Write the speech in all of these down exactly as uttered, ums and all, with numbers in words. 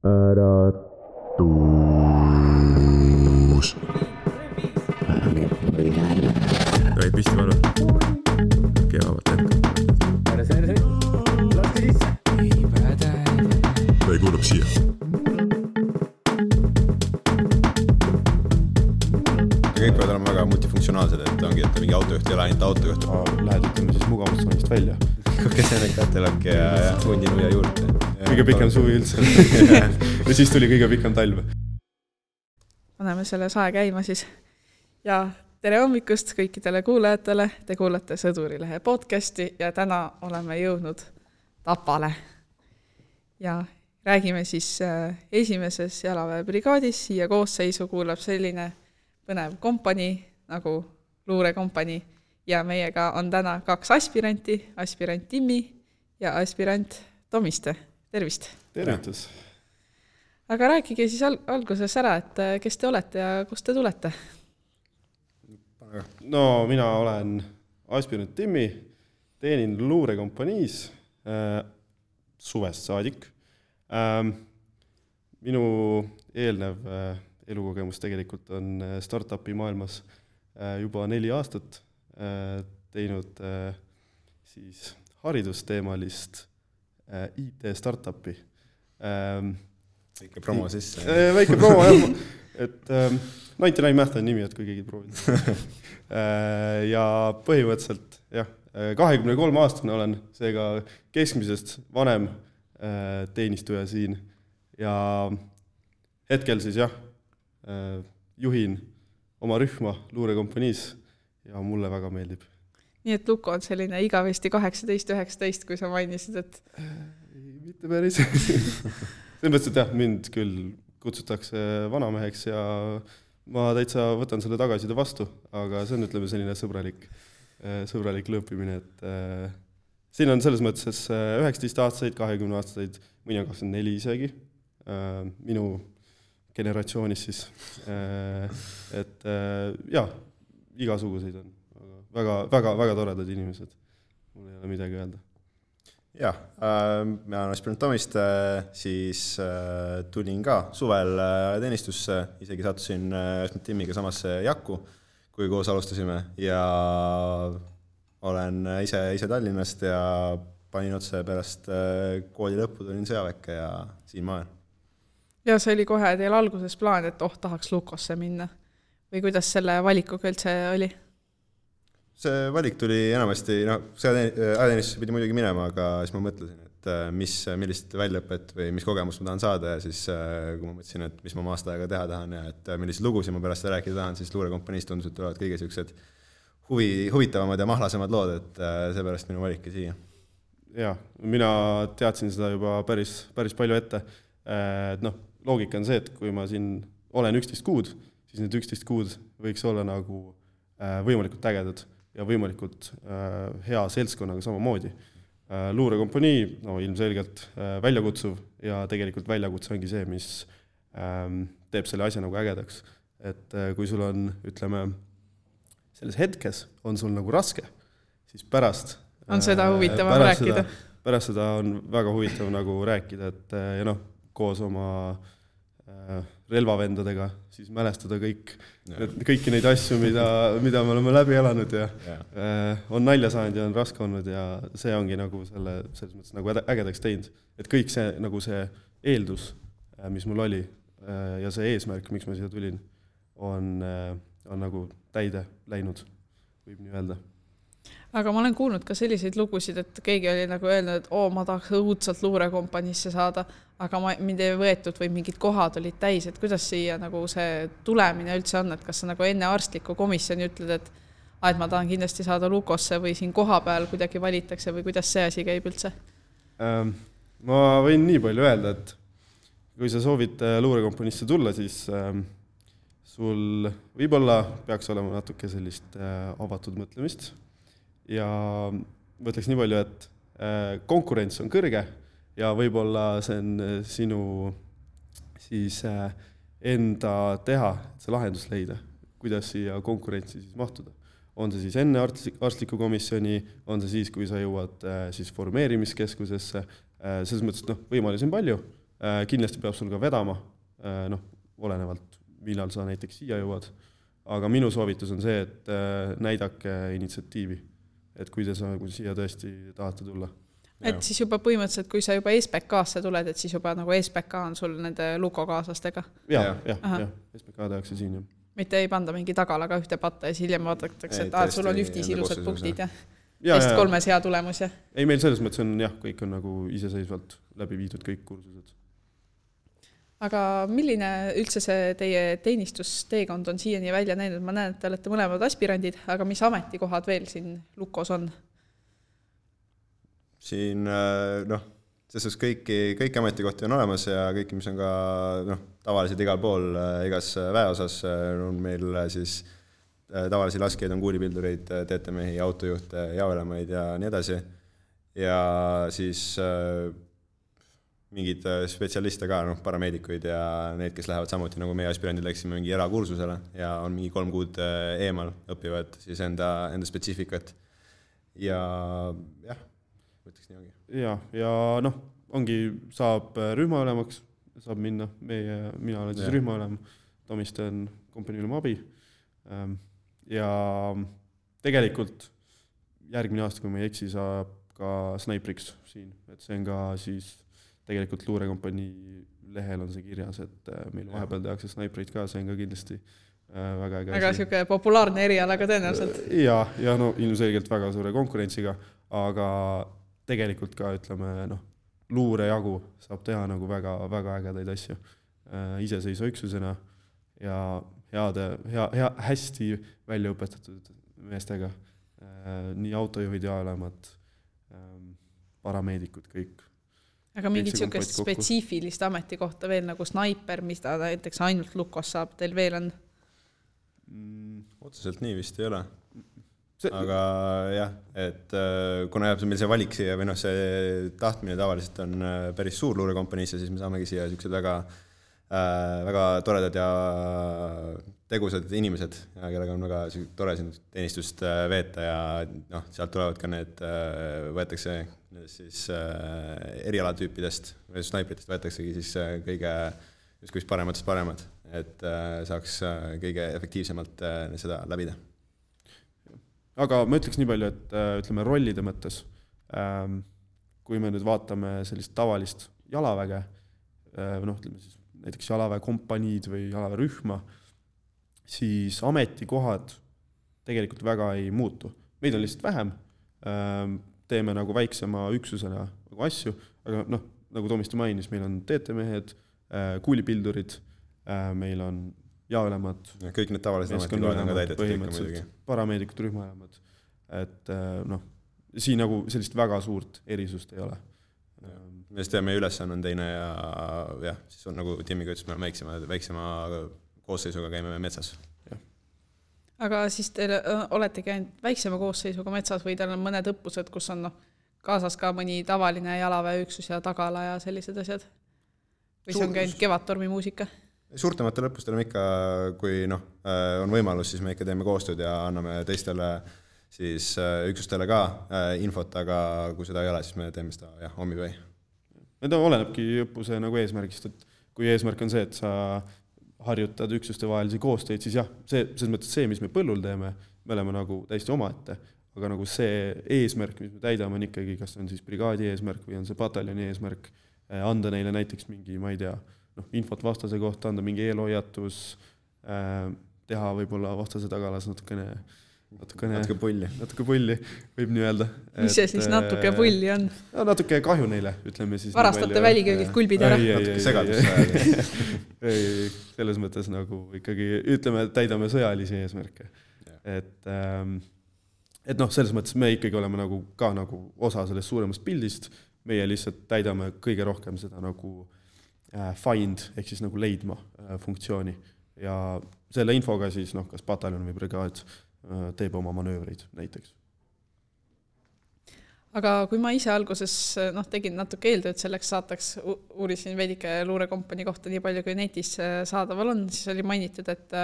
äratus. Ei pisti varu. Keavad hetk. Ära see, ära see. Laske sisse. Ei päde. Ei kuulab siia. Kõik peavad olema väga multifunktsionaalsed, et ongi, et mingi autojuht ei ole ainult autojuht. Lähed ütleme siis mugavustsoonist välja. Kes enne kätelake ja, ja hundinuja juurde. Kõige pikem suvi üldse. Ja siis tuli kõige pikem talv. Paneme selle sae käima siis. Ja tere hommikust kõikidele kuulajatele. Te kuulate Sõdurilehe podcasti ja täna oleme jõudnud Tapale. Ja räägime siis esimeses jalaväebrigaadis. Siia koosseisu kuulab selline põnev kompanii nagu luurekompanii. Ja meiega on täna kaks aspiranti, aspirant Timmi ja aspirant Tomiste. Tervist! Tervitus! Aga rääkige siis al- alguses ära, et kes te olete ja kust te tulete? No mina olen aspirant Timmi, teenin luurekompaniis äh, suvest saadik. Äh, minu eelnev äh, elukogemus tegelikult on startupi maailmas äh, juba neli aastat äh, teinud äh, siis haridusteemalist äh, I T startupi. Ähm, Väike promo sisse. Äh, väike promo, jah. Et ähm, ninety-nine Math on nimi, et kui keegi proovid. äh, ja põhimõtteliselt, jah, kahekümne kolme aastane olen, seega keskmisest vanem äh, teenistuja siin. Ja hetkel siis, jah, äh, juhin oma rühma luurekompaniis ja mulle väga meeldib. Nii et Luko on selline igavesti kaheksateist üheksateist, kui sa mainisid, et... Ei, mitte päris. See mõttes, et jah, mind küll kutsutakse vanameheks ja ma täitsa võtan selle tagaside vastu, aga see on, ütleme, selline sõbralik, sõbralik lõõpimine, et äh, siin on selles mõttes üheksateist aastaseid, kahekümne aastaseid, mõni on kakskümmend neli isegi, äh, minu generatsioonis siis, äh, et äh, jah, igasuguseid on väga, väga, väga toredad inimesed, mul ei ole midagi öelda. Jah, äh, mina olen aspirant Tomiste, siis äh, tulin ka suvel äh, teenistusse, isegi sattusin äh, Timmiga samasse jakku, kui koos alustasime ja olen ise, ise Tallinnast ja panin otse pärast äh, kooli lõppu, tulin sõjaväkke ja siin ma olen. Ja see oli kohe teil alguses plaan, et oh, tahaks Lukosse minna. Või kuidas selle valikuga üldse oli? See valik tuli enamasti, no, ajateenistusse pidi muidugi minema, aga siis ma mõtlesin, et mis, millist väljaõpet või mis kogemust ma tahan saada ja siis kui ma mõtlesin, et mis ma oma aasta aega teha tahan ja et millised lugusid ma pärast rääkida tahan, siis luurekompaniis tundus, et tulevad kõige sellised huvi, huvitavamad ja mahlasemad lood, et seepärast minu valiki siia. Jah, mina teadsin seda juba päris, päris palju ette. Et noh, loogika on see, et kui ma siin olen üksteist kuud, siis need üksteist kuud võiks olla nagu võimalikult ägedad ja võimalikult äh, hea seltskonnaga samamoodi. Äh, luurekompanii, no ilmselgelt äh, väljakutsuv ja tegelikult väljakutse ongi see, mis äh, teeb selle asja nagu ägedaks. Et äh, kui sul on, ütleme, selles hetkes on sul nagu raske, siis pärast... On seda huvitavam pärast rääkida. Seda, pärast seda on väga huvitav nagu rääkida, et ja noh, koos oma äh, relvavendadega, siis mälestada kõik, need, kõiki neid asju, mida, mida me oleme läbi elanud ja äh, on nalja saanud ja on raske olnud ja see ongi nagu selle, selles mõttes nagu ägedaks teinud. Et kõik see, nagu see eeldus, äh, mis mul oli äh, ja see eesmärk, miks ma siia tulin, on, äh, on nagu täide läinud, võib nii öelda. Aga ma olen kuulnud ka selliseid lugusid, et keegi oli nagu öelnud, et oo, ma tahaks õudselt luurekompaniisse saada, aga ma, mind ei võetud või mingid kohad olid täis, et kuidas siia nagu see tulemine üldse on, et kas sa nagu enne arstliku komisjoni ütled, et, et ma tahan kindlasti saada Lukosse või siin koha peal kuidagi valitakse või kuidas see asi käib üldse? Ähm, ma võin nii palju öelda, et kui sa soovid luurekompaniisse tulla, siis ähm, sul võib-olla peaks olema natuke sellist äh, avatud mõtlemist. Ja mõtleks nii palju, et konkurents on kõrge ja võib-olla see on sinu siis enda teha, see lahendus leida, kuidas siia konkurentsi siis mahtuda. On see siis enne arstliku komisjoni, on see siis, kui sa jõuad siis formeerimiskeskusesse. Selles mõttes, et noh, võimalusi on palju, kindlasti peab sul ka vedama, noh, olenevalt, millal sa näiteks siia jõuad, aga minu soovitus on see, et näidake initsiatiivi, et kui te sa, kui siia tõesti tahate tulla. Et siis juba põhimõtteliselt, kui sa juba S B K-sse tuled, et siis juba nagu S B K on sul nende Luko kaaslastega? Jah, jah, jah, S B K tehakse siin. Jah. Mitte ei panda mingi tagalaga ühte patta ja siis hiljem vaadatakse, et ah, sul on ühtis ilusad punktid ja, ja teist kolmes hea tulemus. Ja. Ei, meil selles mõttes on jah, kõik on nagu iseseisvalt läbi viidud kõik kursused. Aga milline üldse see teie teenistusteekond on siiani välja näinud? Ma näen, et te olete mõlemad aspirandid, aga mis ametikohad veel siin Lukos on? Siin, noh, selles kõiki, kõiki ametikohti on olemas ja kõiki, mis on ka noh, tavaliselt igal pool, igas väeosas on meil siis tavalisi laskeid, on kuulipildureid, teetemehi, autojuhte, jaoelemaid ja nii edasi. Ja siis mingid spetsialiste ka, noh, parameedikuid ja need, kes lähevad samuti, nagu meie aspirandid läksime mingi erakursusele ja on mingi kolm kuud eemal õpivad siis enda, enda spetsiifikat. Ja jah, võtaks nii ongi. Ja, ja noh, ongi, saab rühmaülemaks, saab minna, meie, mina olen siis rühmaülem, Tomiste on kompaniülem abi. Ja tegelikult järgmine aasta, kui me ei eksi, saab ka snaipriks siin, et see on ka siis tegelikult luurekompanii lehel on see kirjas, et meil vahepeal tehakse snaiprid ka, see on ka kindlasti väga äge. Väga siuke populaarne eriala ka tõenäoliselt. Ja, ja no ilmselgelt väga suure konkurentsiga, aga tegelikult ka, ütleme, noh, luure jagu saab teha nagu väga, väga ägedaid asju iseseisva üksusena ja heade, hea, hea, hästi välja õpetatud meestega. Nii autojuhid ja olemad, parameedikud kõik. Aga mingit siukest spetsiifilist ametikohta veel nagu snaiper, mis ta näiteks ainult Lukos saab, teil veel on? Mm, otseselt nii vist ei ole. See... Aga jah, et kuna jääb meil see valik siia või noh, see tahtmine tavaliselt on päris suur luurekompaniisse, siis me saamegi siia siuksed väga, väga toredad ja tegusad inimesed, kellega on väga tore siin teenistust veeta ja noh, sealt tulevad ka need, võetakse siis erialatüüpidest või snaipritest võetaksegi siis kõige justkui parematest paremad, et saaks kõige efektiivsemalt seda läbida. Aga ma ütleks nii palju, et ütleme rollide mõttes, kui me nüüd vaatame sellist tavalist jalaväge, noh, ütleme siis näiteks jalaväe kompaniid või jalaväe rühma, siis ametikohad tegelikult väga ei muutu. Meid on lihtsalt vähem, teeme nagu väiksema üksusena nagu asju, aga noh, nagu Tomiste mainis, meil on teetemehed, kuulipildurid, meil on jaolemad. Ja kõik need tavalised ametikohad on ka täidetud. Parameedikud, rühmaelemad. Et noh, siin nagu sellist väga suurt erisust ei ole. Me just teeme ülesanne on teine ja jah, siis on nagu Timmiga ütles, me väiksema, väiksema koosseisuga käime metsas. Ja. Aga siis te olete käinud väiksema koosseisuga metsas või teil on mõned õppused, kus on no, kaasas ka mõni tavaline jalaväeüksus ja tagala ja sellised asjad? Või see on käinud Kevadtormi muusika? Suurtematel õppustel ikka, kui noh, on võimalus, siis me ikka teeme koostööd ja anname teistele siis üksustele ka infot, aga kui seda ei ole, siis me teeme seda jah, ommipäi. Need olenebki õppuse nagu eesmärgist, et kui eesmärk on see, et sa harjutad üksuste vahelisi koostöid, siis jah, see, selles mõttes see, mis me põllul teeme, me oleme nagu täiesti omaette, aga nagu see eesmärk, mis me täidame, on ikkagi, kas on siis brigaadi eesmärk või on see pataljoni eesmärk, anda neile näiteks mingi, ma ei tea, noh, infot vastase kohta, anda mingi eelhoiatus, teha võib-olla vastase tagalas natukene Natukene, natuke pulli. Natuke pulli, võib nii öelda. Mis see siis natuke pulli on? No, natuke kahju neile, ütleme siis. Varastate väliköögid kulbid ära. Ei, natuke segadus. Ei, selles mõttes nagu ikkagi, ütleme, täidame sõjalisi eesmärke. Et, et noh, selles mõttes me ikkagi oleme nagu ka nagu osa sellest suuremast pildist, meie lihtsalt täidame kõige rohkem seda nagu find, ehk siis nagu leidma funktsiooni. Ja selle infoga siis, noh, kas pataljon või brigaad teeb oma manöövreid näiteks. Aga kui ma ise alguses noh, tegin natuke eeltööd selleks saataks, uurisin veidike luurekompani kohta nii palju, kui netis saadaval on, siis oli mainitud, et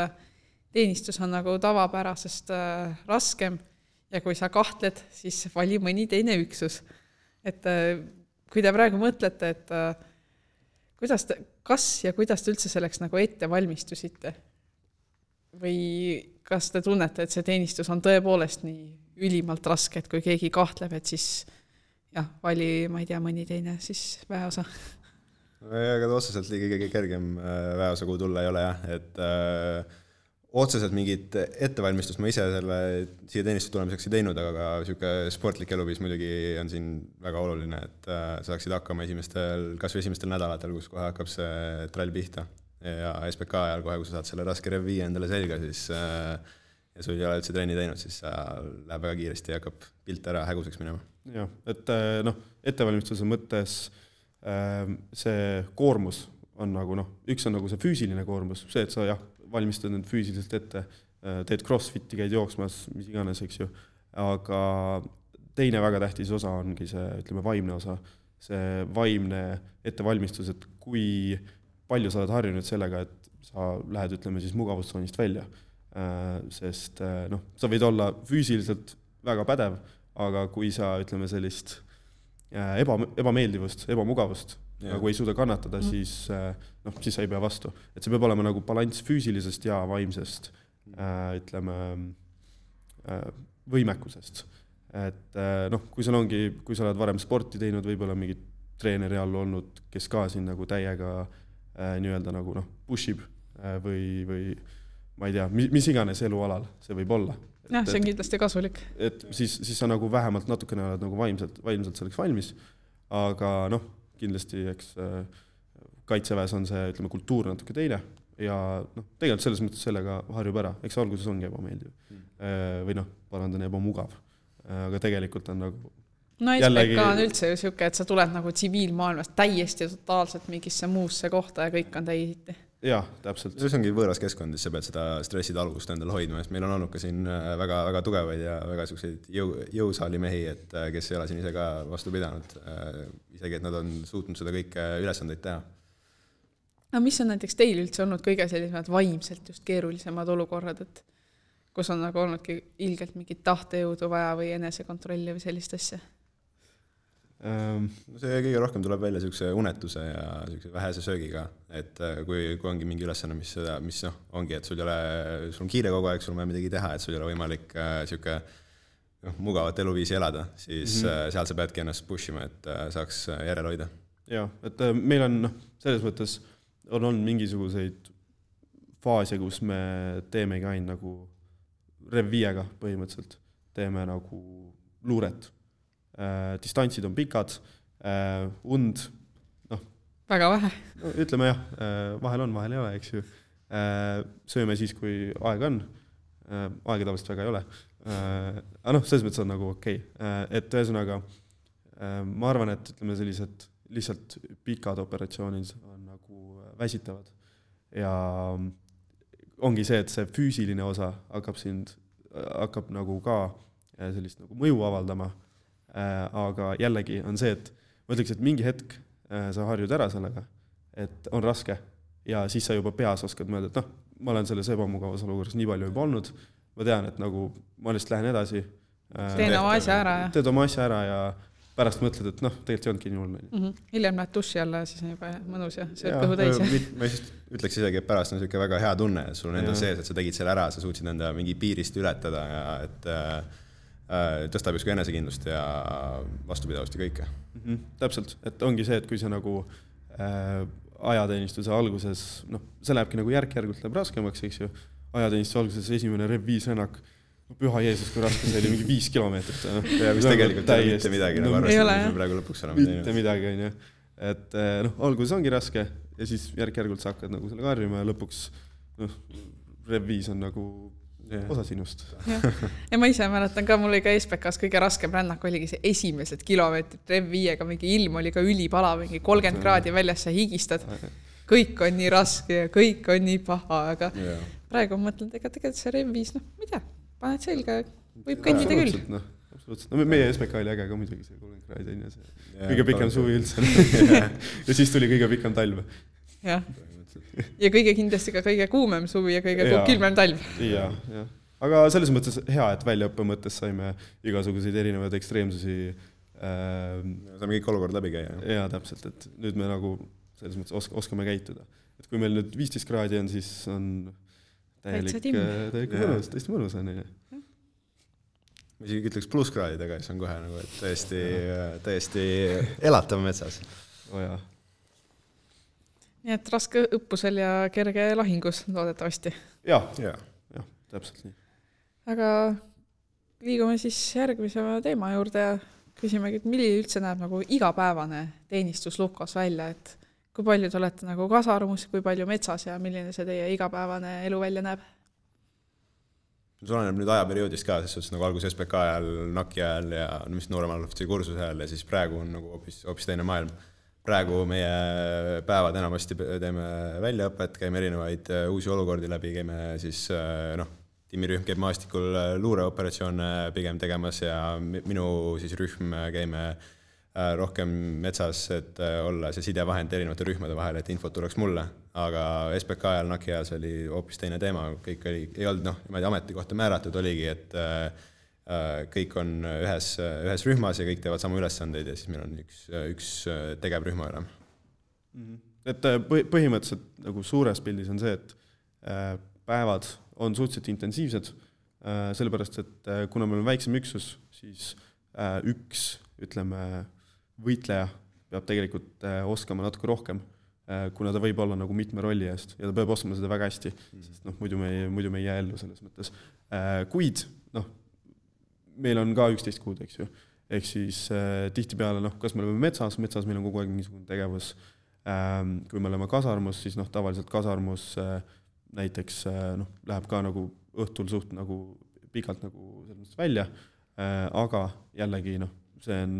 teenistus on nagu tavapärasest raskem ja kui sa kahtled, siis vali mõni teine üksus. Et kui te praegu mõtlete, et kuidas te, kas ja kuidas te üldse selleks nagu ette valmistusite? Või kas te tunnete, et see teenistus on tõepoolest nii ülimalt raske, et kui keegi kahtleb, et siis jah, vali, ma ei tea, mõni teine siis väeosa? Aga otseselt liigi kõige kergem väeosa, kuhu tulla ei ole, jah. Et äh, otseselt mingit ettevalmistust ma ise selle siia teenistuse tulemiseks ei teinud, aga ka siuke sportlik eluviis muidugi on siin väga oluline, et äh, saaksid hakkama esimestel, kas või esimestel nädalatel, kus kohe hakkab see trall pihta. Ja S P K ajal kohe, kui sa saad selle raske rev viie endale selga, siis äh, ja sul ei ole üldse trenni teinud, siis läheb väga kiiresti ja hakkab pilt ära häguseks minema. Jah, et noh, ettevalmistuse mõttes see koormus on nagu noh, üks on nagu see füüsiline koormus, see, et sa jah, valmistad nüüd füüsiliselt ette, teed crossfiti, käid jooksmas, mis iganes, eks ju, aga teine väga tähtis osa ongi see, ütleme, vaimne osa, see vaimne ettevalmistus, et kui palju sa oled harjunud sellega, et sa lähed, ütleme siis mugavustsoonist välja, sest noh, sa võid olla füüsiliselt väga pädev, aga kui sa, ütleme, sellist eba, ebameeldivust, ebamugavust yeah. nagu ei suuda kannatada, mm. siis, noh, siis sa ei pea vastu. Et see peab olema nagu balanss füüsilisest ja vaimsest, ütleme, võimekusest. Et noh, kui sul ongi, kui sa oled varem sporti teinud, võib-olla mingi treeneri all olnud, kes ka siin nagu täiega nii-öelda nagu noh, pushib või, või ma ei tea, mis iganes elualal see võib olla. Jah, see on kindlasti kasulik. Et siis, siis sa nagu vähemalt natukene oled nagu vaimselt, vaimselt selleks valmis, aga noh, kindlasti eks kaitseväes on see, ütleme, kultuur natuke teine ja noh, tegelikult selles mõttes sellega harjub ära, eks alguses ongi ebameeldiv mm. või noh, parandan ebamugav, aga tegelikult on nagu no S P K on üldse ju siuke, et sa tuled nagu tsiviilmaailmast täiesti totaalselt mingisse muusse kohta ja kõik on täisiti. Jah, täpselt. See ongi võõras keskkond, sa pead seda stressid algust endale hoidma, sest meil on olnud ka siin väga, väga tugevaid ja väga selliseid jõu, jõusaali mehi, et kes ei ole siin ise ka vastu pidanud, isegi et nad on suutnud seda kõike ülesandeid teha. No mis on näiteks teil üldse olnud kõige sellisemad vaimselt just keerulisemad olukorrad, et kus on nagu olnudki ilgelt mingit tahtejõudu vaja või enesekontrolli või sellist asja? See kõige rohkem tuleb välja selline unetuse ja vähese söögiga, et kui, kui ongi mingi ülesanne, mis, mis noh, ongi, et sul, ei ole, sul on kiire kogu aeg, sul on vaja midagi teha, et sul ei ole võimalik selline noh, mugavat eluviisi elada, siis mm-hmm. seal sa peadki ennast pushima, et saaks järele hoida. Jah, et meil on noh, selles mõttes on olnud mingisuguseid faase, kus me teemegi ainult nagu rev viiega põhimõtteliselt, teeme nagu luuret. Äh, distantsid on pikad, äh, und, noh. Väga vähe. No, ütleme jah, äh, vahel on, vahel ei ole, eks ju. Äh, sööme siis, kui aeg on. Äh, aega tavaliselt väga ei ole. Äh, aga noh, selles mõttes on nagu okei. Okay. Äh, et ühesõnaga, äh, ma arvan, et ütleme sellised lihtsalt pikad operatsioonid on nagu väsitavad. Ja ongi see, et see füüsiline osa hakkab sind, hakkab nagu ka sellist nagu mõju avaldama. Aga jällegi on see, et ma ütleks, et mingi hetk sa harjud ära sellega, et on raske ja siis sa juba peas oskad mõelda, et noh, ma olen selles ebamugavas olukorras nii palju juba olnud, ma tean, et nagu ma lihtsalt lähen edasi. Teen oma asja ära. Ja. Teed oma asja ära ja pärast mõtled, et noh, tegelikult ei olnudki nii hull. Mm-hmm. Hiljem lähed duši alla ja siis on juba mõnus ja sööd kõhu täis. Ma ütleks isegi, et pärast on selline väga hea tunne, et sul on enda sees, et sa tegid selle ära, sa suutsid enda mingi piirist ületada ja et tõstab justkui enesekindlust ja vastupidavust ja kõike. Mm-hmm, täpselt, et ongi see, et kui sa nagu äh, ajateenistuse alguses, noh, see lähebki nagu järk-järgult läheb raskemaks, eks ju, ajateenistuse alguses esimene rev viis rännak, püha Jeesus, kui raske see oli mingi viis kilomeetrit. No, ja mis tegelikult ei ole mitte midagi, nagu arvestanud, mis praegu lõpuks olema teinud. Mitte midagi, on ju. Et noh, alguses ongi raske ja siis järk-järgult sa hakkad nagu selle karjuma ja lõpuks noh, rev viis on nagu Yeah. osa sinust. Ja. ja ma ise mäletan ka, mul oli ka S P K-s kõige raskem rännak oligi see esimesed kilomeetrid rev viiega, mingi ilm oli ka ülipala, mingi kolmkümmend kraadi väljas sa higistad. Kõik on nii raske ja kõik on nii paha, aga yeah. praegu mõtlen, ega tegelikult see rev viis, noh, mida, paned selga, võib kõndida küll. No, absoluutselt. No meie S P K oli äge ka muidugi see kolmkümmend kraadi on ja see yeah, kõige pikem suvi üldse. ja siis tuli kõige pikem talv. Jah. Ja kõige kindlasti ka kõige kuumem suvi ja kõige ja, külmem talv. Ja, ja. Aga selles mõttes hea, et väljaõppe mõttes saime igasuguseid erinevaid ekstreemsusi. Äh, saame kõik olukord läbi käia. Ja täpselt, et nüüd me nagu selles mõttes osk- oskame käituda. Et kui meil nüüd viisteist kraadi on, siis on täielik, täielik mõnus, tõesti mõnus on. Ma isegi ütleks plusskraadidega, siis on kohe nagu, et täiesti, täiesti elatav metsas. Oh jaa. Nii et raske õppusel ja kerge lahingus loodetavasti. Jah, ja. jah, täpselt nii. Aga liigume siis järgmise teema juurde ja küsimegi, et milline üldse näeb nagu igapäevane teenistus Lukos välja, et kui palju te olete nagu kasarmus, kui palju metsas ja milline see teie igapäevane elu välja näeb? See oleneb nüüd ajaperioodist ka, sest nagu algus S P K ajal, Naki ajal ja mis nooremal ofitsi kursuse ajal ja siis praegu on nagu hoopis, hoopis teine maailm. Praegu meie päevad enamasti teeme väljaõpet, käime erinevaid uusi olukordi läbi, käime siis noh, tiimirühm käib maastikul luureoperatsioone pigem tegemas ja minu siis rühm käime rohkem metsas, et olla see sidevahend erinevate rühmade vahel, et infot tuleks mulle. Aga S P K ajal, Naki ajal see oli hoopis teine teema, kõik oli, ei olnud noh, niimoodi ametikohta määratud oligi, et kõik on ühes, ühes rühmas ja kõik teevad sama ülesandeid ja siis meil on üks, üks tegevrühma üle. Et põhimõtteliselt nagu suures pildis on see, et päevad on suhteliselt intensiivsed, sellepärast, et kuna meil on väiksem üksus, siis üks, ütleme, võitleja peab tegelikult oskama natuke rohkem, kuna ta võib olla nagu mitme rolli eest ja ta peab oskama seda väga hästi, sest noh, muidu me ei, muidu me ei jää ellu selles mõttes. Kuid, noh, meil on ka üksteist kuud, eks ju. Ehk siis eh, tihti peale, noh, kas me oleme metsas, metsas meil on kogu aeg niisugune tegevus. Ähm, kui me oleme kasarmus, siis noh, tavaliselt kasarmus eh, näiteks eh, noh, läheb ka nagu õhtul suht nagu pikalt nagu sellest välja, eh, aga jällegi noh, see on,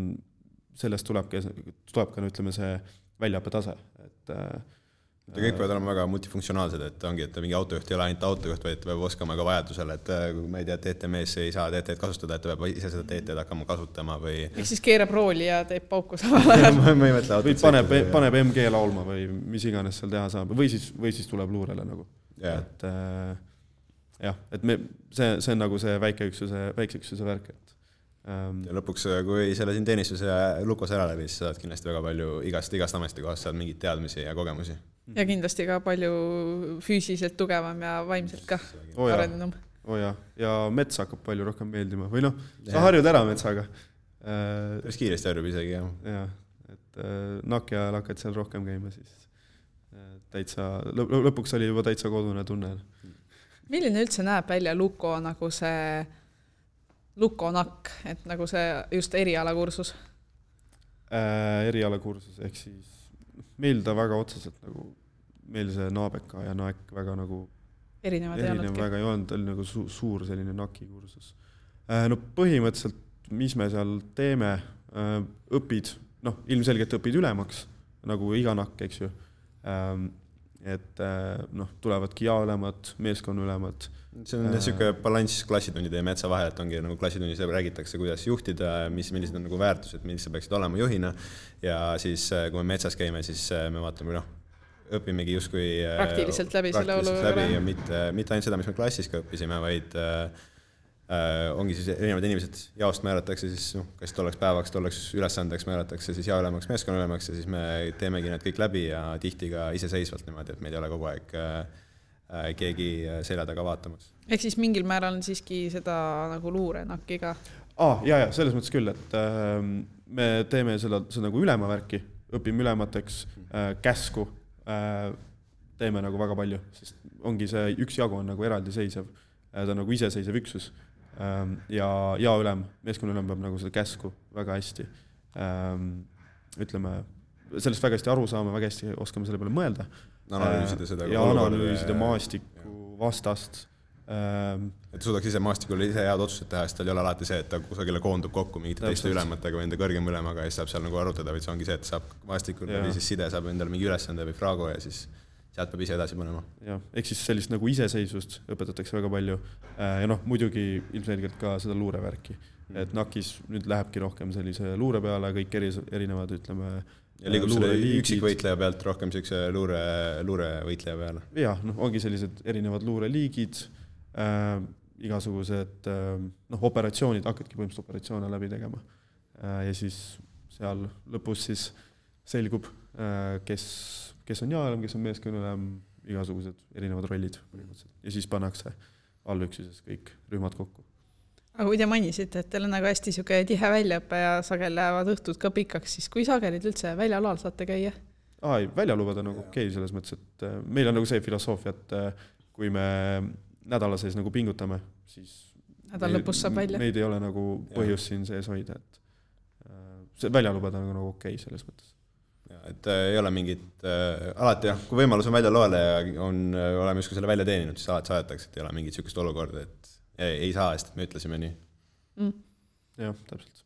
sellest tuleb ka, tuleb ka ütleme see väljaõppetase, et ja kõik peavad olema väga multifunktsionaalsed, et ongi, et mingi autojuht ei ole ainult autojuht, vaid peab oskama ka vajadusel, et kui ma ei tea, T T M-s ei saa T T-d kasutada, et ta peab ise seda T T-d hakkama kasutama või... Ehk siis keerab rooli ja teeb pauku samal ajal. või paneb, paneb M G laulma või mis iganes seal teha saab, või siis, või siis tuleb luurele nagu. Yeah. Et äh, jah, et me, see, see on nagu see väikeüksuse, väikeüksuse värk, et ja lõpuks, kui selle siin teenistuse Lukos ära läbi, siis saad kindlasti väga palju igast, igast ametikohast saad mingid teadmisi ja kogemusi. Ja kindlasti ka palju füüsiliselt tugevam ja vaimselt ka oh arenenum. Oh ja. ja mets hakkab palju rohkem meeldima. Või noh, sa harjud ära metsaga. Päris kiiresti harjub isegi, jah. Ja, et Naki ajal hakkad seal rohkem käima, siis täitsa, lõpuks oli juba täitsa kodune tunne. Milline üldse näeb välja Luko nagu see Luko nakk, et nagu see just erialakursus? Äh, erialakursus, ehk siis meil ta väga otseselt nagu, meil see naabeka ja naek väga nagu erinevad ei erinev väga ei olnud, oli nagu su- suur selline naki kursus. Äh, no põhimõtteliselt, mis me seal teeme, äh, õpid, noh, ilmselgelt õpid ülemaks, nagu iga nakk, eks ju. Ähm, et noh, tulevadki ja ülemad, meeskonna ülemad. See on niisugune balanss klassitunnide ja metsa vahel, et ongi nagu klassitunnis räägitakse, kuidas juhtida, mis, millised on nagu väärtused, millised peaksid olema juhina ja siis, kui me metsas käime, siis me vaatame, noh, õpimegi justkui praktiliselt läbi selle olu läbi ja mitte, mitte ainult seda, mis me klassis ka õppisime, vaid äh, ongi siis erinevad inimesed jaost määratakse, siis noh, kas tolleks päevaks, tolleks ülesandeks määratakse, siis jaoülemaks, meeskonna ülemaks ja siis me teemegi need kõik läbi ja tihti ka iseseisvalt niimoodi, et meil ei ole kogu aeg äh, keegi selja taga vaatamas. Ehk siis mingil määral on siiski seda nagu luurenakki ka? Ah, ja, ja, selles mõttes küll, et äh, me teeme seda, seda nagu ülema värki, õpime ülemateks äh, käsku, äh, teeme nagu väga palju, sest ongi see üks jagu on nagu eraldiseisev, äh, ta on nagu iseseisev üksus äh, ja, ja ülem, meeskonna ülem peab nagu seda käsku väga hästi äh, ütleme, sellest väga hästi aru saame, väga hästi oskame selle peale mõelda. Analüüsida seda ja analüüsida maastiku vastast. Et suudaks ise maastikul ise head otsused teha, sest tal ei ole alati see, et ta kusagile koondub kokku mingite teiste ülematega või enda kõrgem ülemaga ja siis saab seal nagu arutada, vaid see ongi see, et saab maastikul või siis side saab endale mingi ülesande või fraago ja siis sealt peab ise edasi panema. Ja, ehk siis sellist nagu iseseisvust õpetatakse väga palju ja noh, muidugi ilmselgelt ka seda luurevärki. Et Nakis nüüd lähebki rohkem sellise luure peale, kõik eri, erinevad, ütleme, ja liigub selle üksikvõitleja pealt rohkem sellise luure, luurevõitleja peale. Jah, noh, ongi sellised erinevad luureliigid, äh, igasugused äh, noh, operatsioonid, hakkadki põhimõtteliselt operatsioone läbi tegema. Äh, ja siis seal lõpus siis selgub, kes, kes on jaaülem, kes on meeskonnaülem, igasugused erinevad rollid ja siis pannakse allüksuses kõik rühmad kokku. Aga kui te mainisite, et teil on nagu hästi siuke tihe väljaõppe ja sagel lähevad õhtud ka pikaks, siis kui sagelid üldse väljalal saate käia? Aa, ei, väljalubad on nagu okei selles mõttes, et meil on nagu see filosoofia, et kui me nädala sees nagu pingutame, siis nädal lõpus saab välja. Meid ei ole nagu põhjus siin sees hoida, et see väljalubad on nagu okei selles mõttes. Ja, et ei ole mingit, äh, alati jah, kui võimalus on välja loele ja on, oleme justkui selle välja teeninud, siis alati saadetakse, et ei ole mingit sükust olukorda, et ei, ei saa, sest me ütlesime nii. Mm. Jah, täpselt.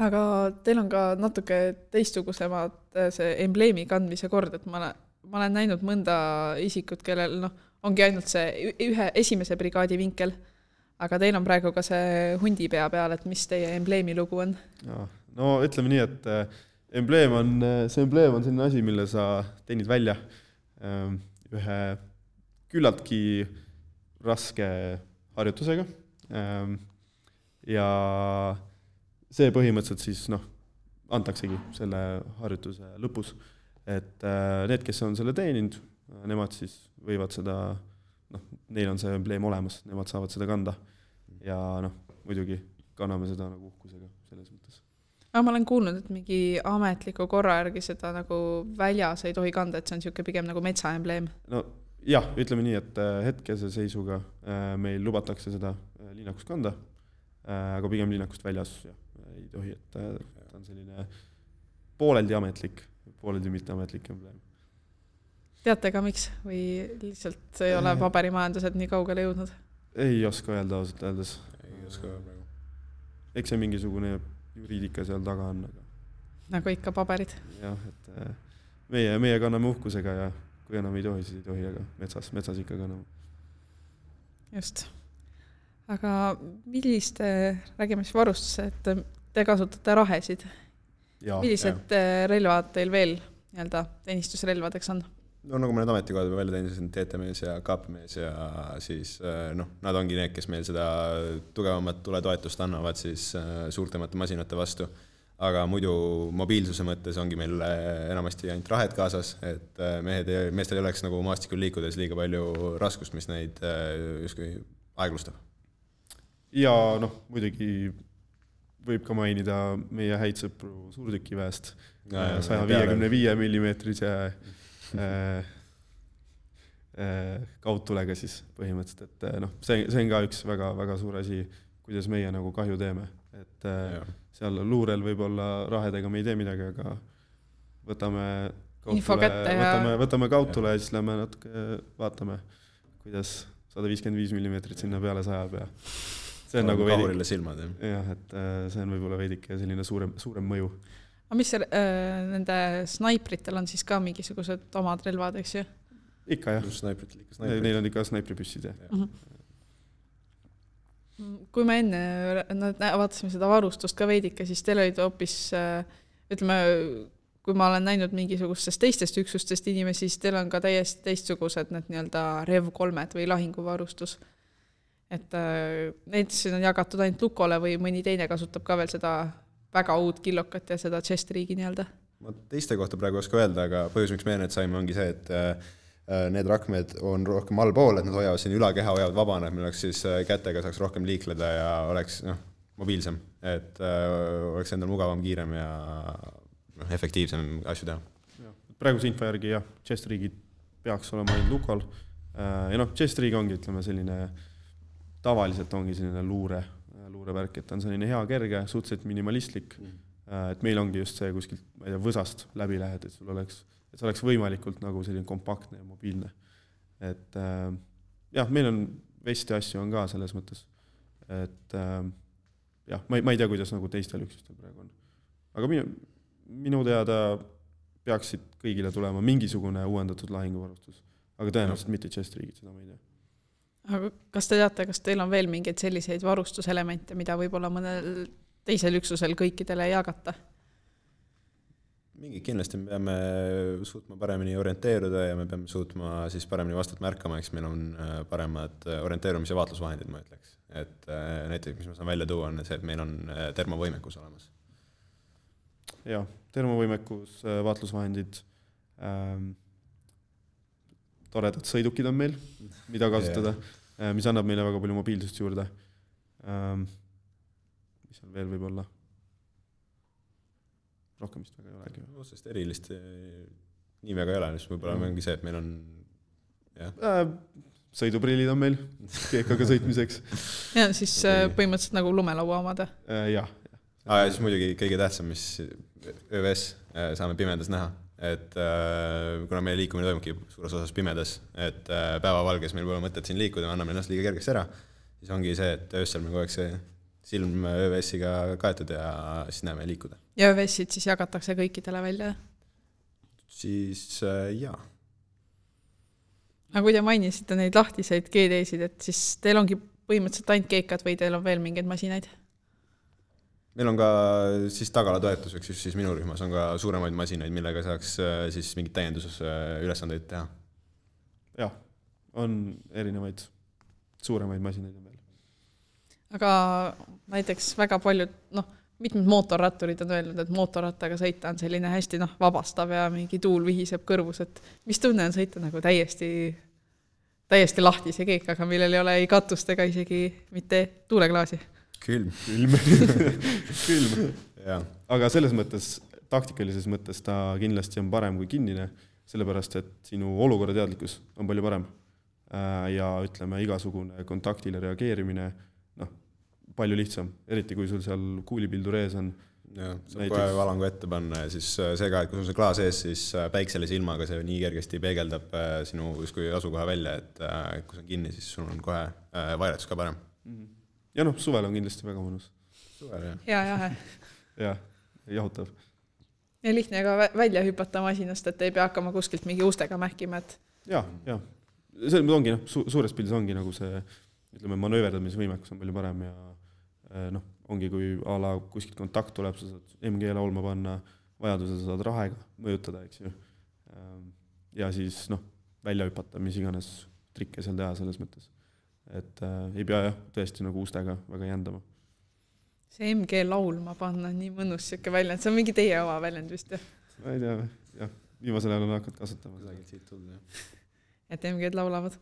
Aga teil on ka natuke teistsugusemad see embleemi kandmise kord, et ma olen, ma olen näinud mõnda isikut, kellel no, ongi ainult see ühe esimese brigaadi vinkel, aga teil on praegu ka see hundi pea peal, et mis teie embleemi lugu on? Ja, no ütleme nii, et embleem on, see embleem on selline asi, mille sa teenid välja ühe küllaltki raske harjutusega ja see põhimõtteliselt siis noh, antaksegi selle harjutuse lõpus, et need, kes on selle teeninud, nemad siis võivad seda, noh, neil on see embleem olemas, nemad saavad seda kanda ja noh, muidugi kanname seda nagu uhkusega selles mõttes. Aga ma olen kuulnud, et mingi ametliku korra järgi seda nagu väljas ei tohi kanda, et see on siuke pigem nagu metsaembleem. No jah, ütleme nii, et hetkese seisuga meil lubatakse seda linnakust kanda, aga pigem linnakust väljas ja, ei tohi, et ta on selline pooleldi ametlik, pooleldi mitteametlik embleem. Teate ka miks või lihtsalt ei ole paberimajandused nii kaugele jõudnud? Ei oska öelda ausalt öeldes. Ei oska öelda. Eks see mingisugune juriidika seal taga on. Aga... nagu ikka paberid. Jah, et meie, meie kanname uhkusega ja kui enam ei tohi, siis ei tohi, aga metsas, metsas ikka kanname. Just. Aga milliste, räägime siis varustuse, et te kasutate rahesid? Ja, millised ja. relvad teil veel nii-öelda teenistusrelvadeks on? No nagu me need ametikohad välja teenisin, T T-mees ja K P-mees ja siis noh, nad ongi need, kes meil seda tugevamat tuletoetust annavad siis suurtemate masinate vastu. Aga muidu mobiilsuse mõttes ongi meil enamasti ainult rahed kaasas, et mehed, meestel ei oleks nagu maastikul liikudes liiga palju raskust, mis neid justkui aeglustab. Ja noh, muidugi võib ka mainida meie häid sõpru suurtükiväest saja viiekümne viie millimeetrise Äh, äh, kaudtulega siis põhimõtteliselt, et noh, see, see on ka üks väga, väga suur asi, kuidas meie nagu kahju teeme, et äh, seal luurel võib-olla rahedega me ei tee midagi, aga võtame kaudtule, võtame, võtame kaudtule ja siis lähme natuke vaatame, kuidas sada viiskümmend viis millimeetrit sinna peale sajab ja see on nagu veidike silmad, jah, et see on võib-olla veidike selline suurem, suurem mõju. Aga mis see, äh, nende snaipritel on siis ka mingisugused omad relvad, eks ju? Ikka jah, snaiprit, ikka snaiprit. Neil on ikka snaipripüssid jah. Uh-huh. Kui me enne vaatasime seda varustust ka veidike, siis teil olid hoopis, ütleme, kui ma olen näinud mingisugustest teistest üksustest inimesi, siis teil on ka täiesti teistsugused need nii-öelda rev kolmed või lahinguvarustus. Et neid siin on jagatud ainult Lukole või mõni teine kasutab ka veel seda väga uut killokat ja seda Chestriigi nii-öelda. Ma teiste kohta praegu oska öelda, aga põhjus, miks me need saime, ongi see, et need rakmed on rohkem allpool, et nad hoiavad siin ülakeha, hoiavad vabana, et meil oleks siis kätega saaks rohkem liikleda ja oleks noh, mobiilsem, et oleks endal mugavam, kiirem ja noh, efektiivsem asju teha. Ja, praeguse info järgi jah, Chestriigid peaks olema ainult Lukal ja noh, Chestriig ongi, ütleme, selline tavaliselt ongi selline luure luurevärk, et on selline hea kerge, suhteliselt minimalistlik, mm. et meil ongi just see kuskilt, ma ei tea, võsast läbi lähed, et sul oleks, et see oleks võimalikult nagu selline kompaktne ja mobiilne. Et jah, meil on vesti asju on ka selles mõttes, et jah, ma ei, ma ei tea, kuidas nagu teistel üksustel praegu on. Aga minu, minu teada peaksid kõigile tulema mingisugune uuendatud lahinguvarustus, aga tõenäoliselt mitte Chestriigid, seda ma ei tea. Aga kas te teate, kas teil on veel mingeid selliseid varustuselemente, mida võib-olla mõnel teisel üksusel kõikidele ei jagata? Mingi kindlasti me peame suutma paremini orienteeruda ja me peame suutma siis paremini vastut märkama, eks meil on paremad orienteerumise vaatlusvahendid, ma ütleks. Et näiteks, mis ma saan välja tuua, on see, et meil on termovõimekus olemas. jah, termovõimekus, vaatlusvahendid, ähm, toredad sõidukid on meil, mida kasutada, yeah. mis annab meile väga palju mobiilsust juurde. Ähm, mis on veel võib olla? Rohkem vist väga ei olegi. Otsest erilist nii väga ei ole, mis võib-olla mm. ongi see, et meil on jah. Äh, sõiduprillid on meil keekaga sõitmiseks. ja siis okay. põhimõtteliselt nagu lumelaua omada. Äh, jah. Ah, ja siis muidugi kõige tähtsam, mis ÖVS saame pimedas näha, et äh, kuna meie liikumine toimubki suures osas pimedas, et äh, päevavalges meil pole mõtet siin liikuda, me anname ennast liiga kergeks ära, siis ongi see, et öössel me kogu aeg see silm ÖVS-iga kaetud ja siis näeme liikuda. Ja ÖVS-id siis jagatakse kõikidele välja? Siis äh, jaa. Aga kui te mainisite neid lahtiseid G D-sid, et siis teil ongi põhimõtteliselt ainult keekad või teil on veel mingeid masinaid? Meil on ka siis tagalatoetuseks, just siis minu rühmas on ka suuremaid masinaid, millega saaks siis mingid täiendusülesandeid teha. Jah, on erinevaid suuremaid masinaid veel. Aga näiteks väga paljud, noh, mitmed mootorratturid on öelnud, et mootorrattaga sõita on selline hästi noh, vabastav ja mingi tuul vihiseb kõrvus, et mis tunne on sõita nagu täiesti, täiesti lahtise keekaga, millel ei ole ei katust ega isegi mitte tuuleklaasi? Külm. Külm. Külm. Ja. Aga selles mõttes, taktikalises mõttes ta kindlasti on parem kui kinnine, sellepärast, et sinu olukorra teadlikkus on palju parem. Ja ütleme, igasugune kontaktile reageerimine, noh, palju lihtsam, eriti kui sul seal kuulipildur ees on. Ja, saab näiteks... kohe valangu ette panna ja siis see ka, et kui sul see klaas ees, siis päikselise ilmaga see nii kergesti peegeldab sinu kui asukoha välja, et kui see on kinni, siis sul on kohe vairetus ka parem. Mm-hmm. Ja noh, suvel on kindlasti väga mõnus. Suvel, jah. Ja, jahe. Ja, jahutav. Ja lihtne ka välja hüpata masinast, et ei pea hakkama kuskilt mingi ustega mähkima, et... Ja, ja. See ongi, noh, su suures pildis ongi nagu see, ütleme, manööverdamisvõimekus on palju parem ja noh, ongi, kui a la kuskilt kontakt tuleb, sa saad M G laulma panna, vajaduse sa saad rahega mõjutada, eks ju. Ja siis, noh, välja hüpata, mis iganes trikke seal teha selles mõttes. Et äh, ei pea jah, tõesti nagu ustega väga jändama. See M G laulma panna on nii mõnus siuke väljend, see on mingi teie oma väljend vist, jah? Ma ei tea, jah, viimasel ajal on hakanud kasutama. Siit tulda, jah. Et M G-d laulavad?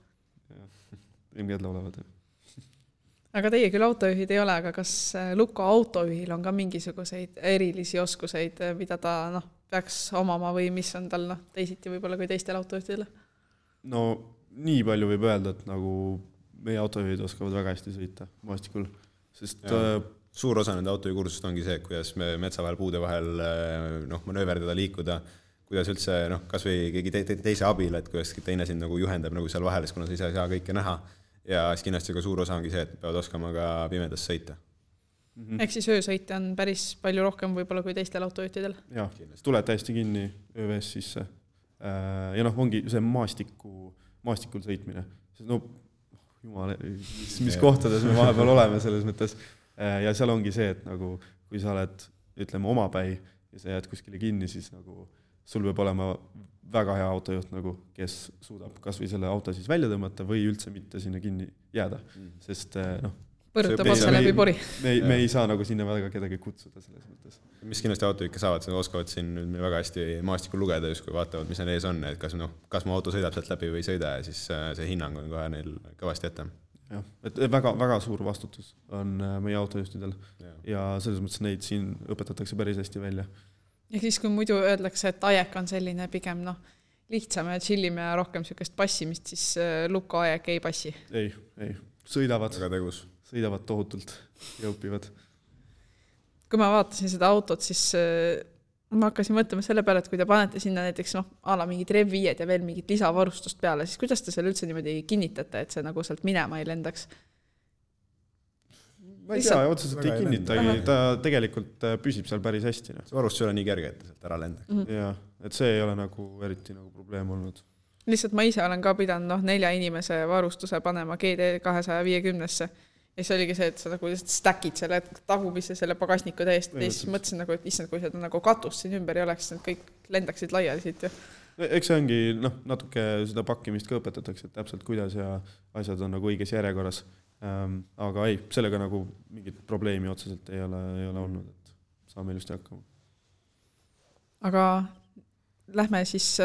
Jah, M G-d laulavad, jah. Aga teie küll autojuhid ei ole, aga kas Luko autojuhil on ka mingisuguseid erilisi oskuseid, mida ta noh, peaks omama või mis on tal noh, teisiti võib-olla kui teistel autojuhtidele? No nii palju võib öelda, et nagu meie autojuhid oskavad väga hästi sõita maastikul, sest ja, suur osa nende autojuhikursust ongi see, kuidas me metsa vahel puude vahel noh, manööverdada, liikuda, kuidas üldse noh, kas või keegi te te teise abil, et kuidas teine sind nagu juhendab nagu seal vahel, kuna sa ise ei saa kõike näha ja siis kindlasti ka suur osa ongi see, et peavad oskama ka pimedas sõita. Mm-hmm. Ehk siis öösõite on päris palju rohkem võib-olla kui teistel autojuhtidel? Jah, tuleb täiesti kinni ÖVS sisse ja noh, ongi see maastiku, maastikul sõitmine, sest no Jumala, mis, mis kohtades me vahepeal oleme selles mõttes. Ja seal ongi see, et nagu, kui sa oled, ütleme, omapäi ja sa jääd kuskile kinni, siis nagu sul peab olema väga hea autojuht, nagu, kes suudab kas või selle auto siis välja tõmmata või üldse mitte sinna kinni jääda. Sest noh, põrutab otsa läbi pori. Me, me ei saa nagu sinna väga kedagi kutsuda selles mõttes. Mis kindlasti autojuhid saavad, nad oskavad siin väga hästi maastikul lugeda, just kui vaatavad, mis neil ees on, et kas, no, kas mu auto sõidab sealt läbi või ei sõida ja siis see hinnang on kohe neil kõvasti ette. Jah, et väga, väga suur vastutus on meie autojuhtidel ja. ja selles mõttes neid siin õpetatakse päris hästi välja. Ja siis, kui muidu öeldakse, et ajek on selline pigem noh, lihtsam ja chillime ja rohkem sellist passimist, siis Luko ajek ei passi? Ei, ei. Sõidavad, sõidavad tohutult ja õpivad. Kui ma vaatasin seda autot, siis ma hakkasin mõtlema selle peale, et kui te panete sinna näiteks noh, ala mingid rev viied ja veel mingid lisavarustust peale, siis kuidas te selle üldse niimoodi kinnitate, et see nagu sealt minema ei lendaks? Ma ei tea, otseselt ei kinnitagi, ta tegelikult püsib seal päris hästi. No. See varustus ei ole nii kerge, et sealt ära lendaks. Mm-hmm. Ja, et see ei ole nagu eriti nagu probleem olnud. Lihtsalt ma ise olen ka pidanud noh, nelja inimese varustuse panema G D kahesaja viiekümnesse. Ja see oligi see, et sa nagu stackid selle tagumisse selle pagasniku täiesti ja siis mõtlesin, nagu, et issand, kui seda nagu katust siin ümber ei oleks, et kõik lendaksid laiali siit. Ja. Eks see ongi, noh, natuke seda pakkimist ka õpetatakse, et täpselt kuidas ja asjad on nagu õiges järjekorras. Ähm, aga ei, sellega nagu mingit probleemi otseselt ei ole, ei ole olnud, et saame ilusti hakkama. aga lähme siis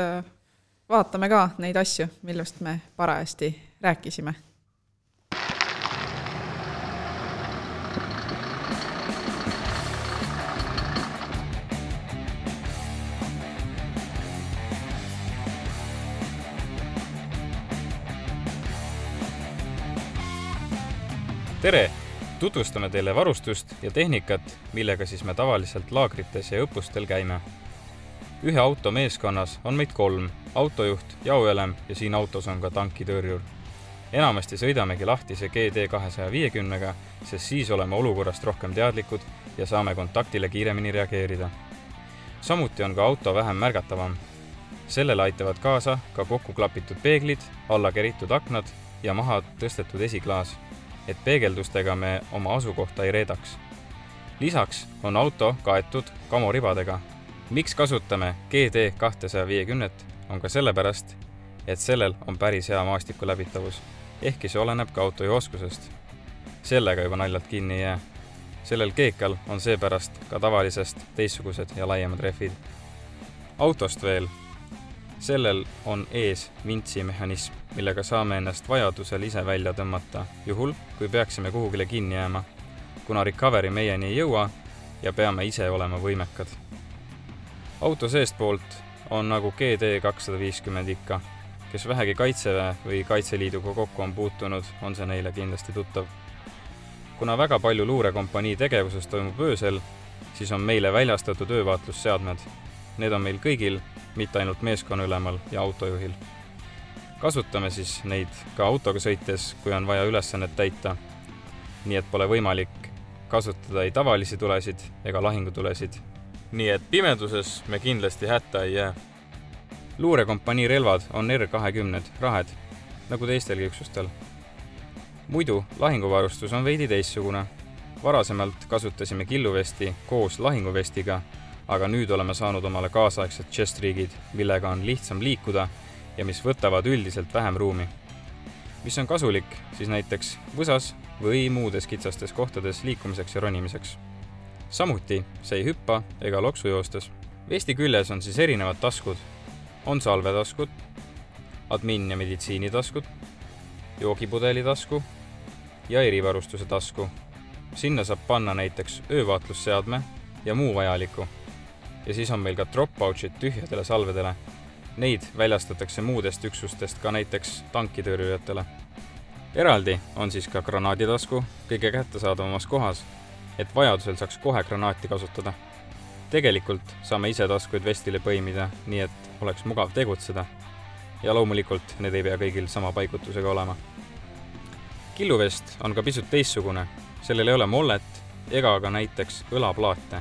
vaatame ka neid asju, millest me parajasti rääkisime. Tere! Tutvustame teile varustust ja tehnikat, millega siis me tavaliselt laagrites ja õppustel käime. Ühe auto meeskonnas on meid kolm, autojuht, jaoelem ja siin autos on ka tankitõrjur. Enamasti sõidamegi lahtise G D kahesajaviiekümnega, sest siis oleme olukorrast rohkem teadlikud ja saame kontaktile kiiremini reageerida. Samuti on ka auto vähem märgatavam. Sellele aitavad kaasa ka kokku klapitud peeglid, alla keritud aknad ja maha tõstetud esiklaas, et peegeldustega me oma asukohta ei reedaks. Lisaks on auto kaetud kamoribadega. Miks kasutame G D kahesajaviiekümmet on ka sellepärast, et sellel on päris hea maastiku läbitavus, ehkki see oleneb ka autojuhi oskusest. Sellega juba naljalt kinni ei jää. Sellel keekal on seepärast ka tavalisest teistsugused ja laiemad rehvid. Autost veel. Sellel on ees vintsimehhanism, millega saame ennast vajadusel ise välja tõmmata, juhul kui peaksime kuhugile kinni jääma, kuna recovery meieni ei jõua ja peame ise olema võimekad. Auto seestpoolt on nagu G D kakssadaviiskümmend ikka, kes vähegi Kaitseväe või Kaitseliiduga kokku on puutunud, on see neile kindlasti tuttav. Kuna väga palju luurekompanii tegevuses toimub öösel, siis on meile väljastatud öövaatlusseadmed. Need on meil kõigil, mitte ainult meeskonnaülemal ja autojuhil. Kasutame siis neid ka autoga sõites, kui on vaja ülesannet täita, nii et pole võimalik kasutada ei tavalisi tulesid ega lahingutulesid. Nii et pimeduses me kindlasti hätta ei jää. Luurekompanii relvad on R kakskümmend rahed, nagu teistelgi üksustel. Muidu lahinguvarustus on veidi teistsugune. Varasemalt kasutasime killuvesti koos lahinguvestiga, aga nüüd oleme saanud omale kaasaegsed chest-rigid, millega on lihtsam liikuda ja mis võtavad üldiselt vähem ruumi. Mis on kasulik, siis näiteks võsas või muudes kitsastes kohtades liikumiseks ja ronimiseks. Samuti see ei hüppa ega loksu joostes. Vesti küljes on siis erinevad taskud. On salvetaskud, admin- ja meditsiinitaskud, joogipudeli tasku ja erivarustuse tasku. Sinna saab panna näiteks öövaatlusseadme ja muu vajaliku. Ja siis on meil ka drop-pouchid tühjadele salvedele. Neid väljastatakse muudest üksustest ka näiteks tankitõrjujatele. Eraldi on siis ka granaaditasku kõige kättesaadavamas kohas, et vajadusel saaks kohe granaati kasutada. Tegelikult saame ise taskuid vestile põimida, nii et oleks mugav tegutseda. Ja loomulikult need ei pea kõigil sama paigutusega olema. Killuvest on ka pisut teistsugune. Sellel ei ole mollet ega ka näiteks õlaplaate.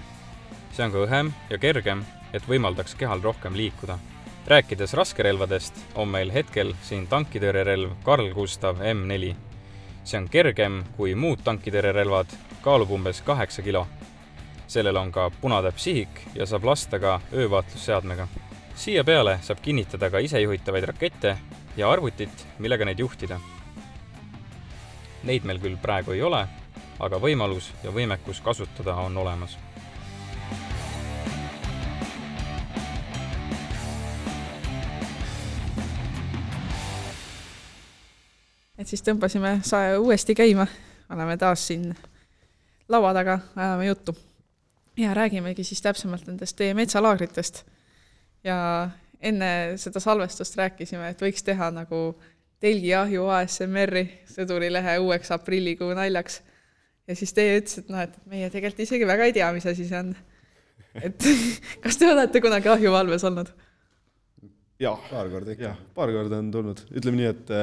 See on ka õhem ja kergem, et võimaldaks kehal rohkem liikuda. Rääkides raskerelvadest on meil hetkel siin tankitõrjerelv Carl Gustav M neli. See on kergem kui muud tankitõrjerelvad, kaalub umbes kaheksa kilo. Sellel on ka punatäpp sihik ja saab lasta ka öövaatlusseadmega. Siia peale saab kinnitada ka isejuhitavaid rakette ja arvutit, millega neid juhtida. Neid meil küll praegu ei ole, aga võimalus ja võimekus kasutada on olemas. Et siis tõmbasime sae uuesti käima, oleme taas siin laua taga, ajame juttu. Ja räägimegi siis täpsemalt nendest teie metsalaagritest. Ja enne seda salvestust rääkisime, et võiks teha nagu telgiahju A S M R-i sõdurilehe uueks aprillikuu naljaks. Ja siis teie ütles, et, no, et meie tegelikult isegi väga ei tea, mis asi see on. Et kas te olete kunagi ahjuvalves olnud? Jah, Paar korda ikka. jah, paar korda on tulnud. Ütleme nii, et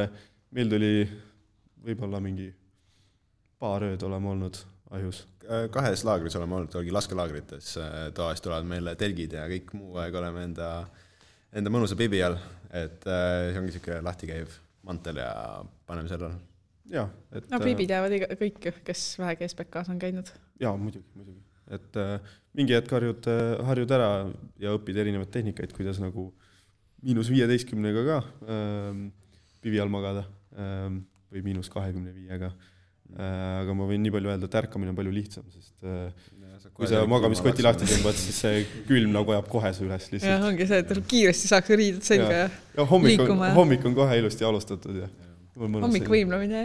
meil tuli võib-olla mingi paar ööd oleme olnud ahjus. Kahes laagris oleme olnud, olgi laskelaagrites. Tavaliselt tulevad meile telgid ja kõik muu aeg oleme enda, enda mõnusa bibi all. Et see ongi siuke lahti käiv mantel ja paneme selle. Ja, et, no bibi teavad iga, kõik, kes vähegi S P K-s on käinud. Jaa, muidugi, muidugi. Et äh, mingi hetk harjud, harjud ära ja õpid erinevad tehnikaid, kuidas nagu miinus viieteistkümnega ka ähm, bibi all magada ähm, või miinus kahekümne viiega. aga ma võin nii palju öelda, et ärkamine on palju lihtsam, sest kui sa magamiskoti lahti tõmbad, siis see külm nagu ajab kohe su üles lihtsalt. Ja ongi see, et kiiresti saaks riided selga ja, ja hommik on, hommik on kohe ilusti alustatud. Ja. Hommik võimlemine.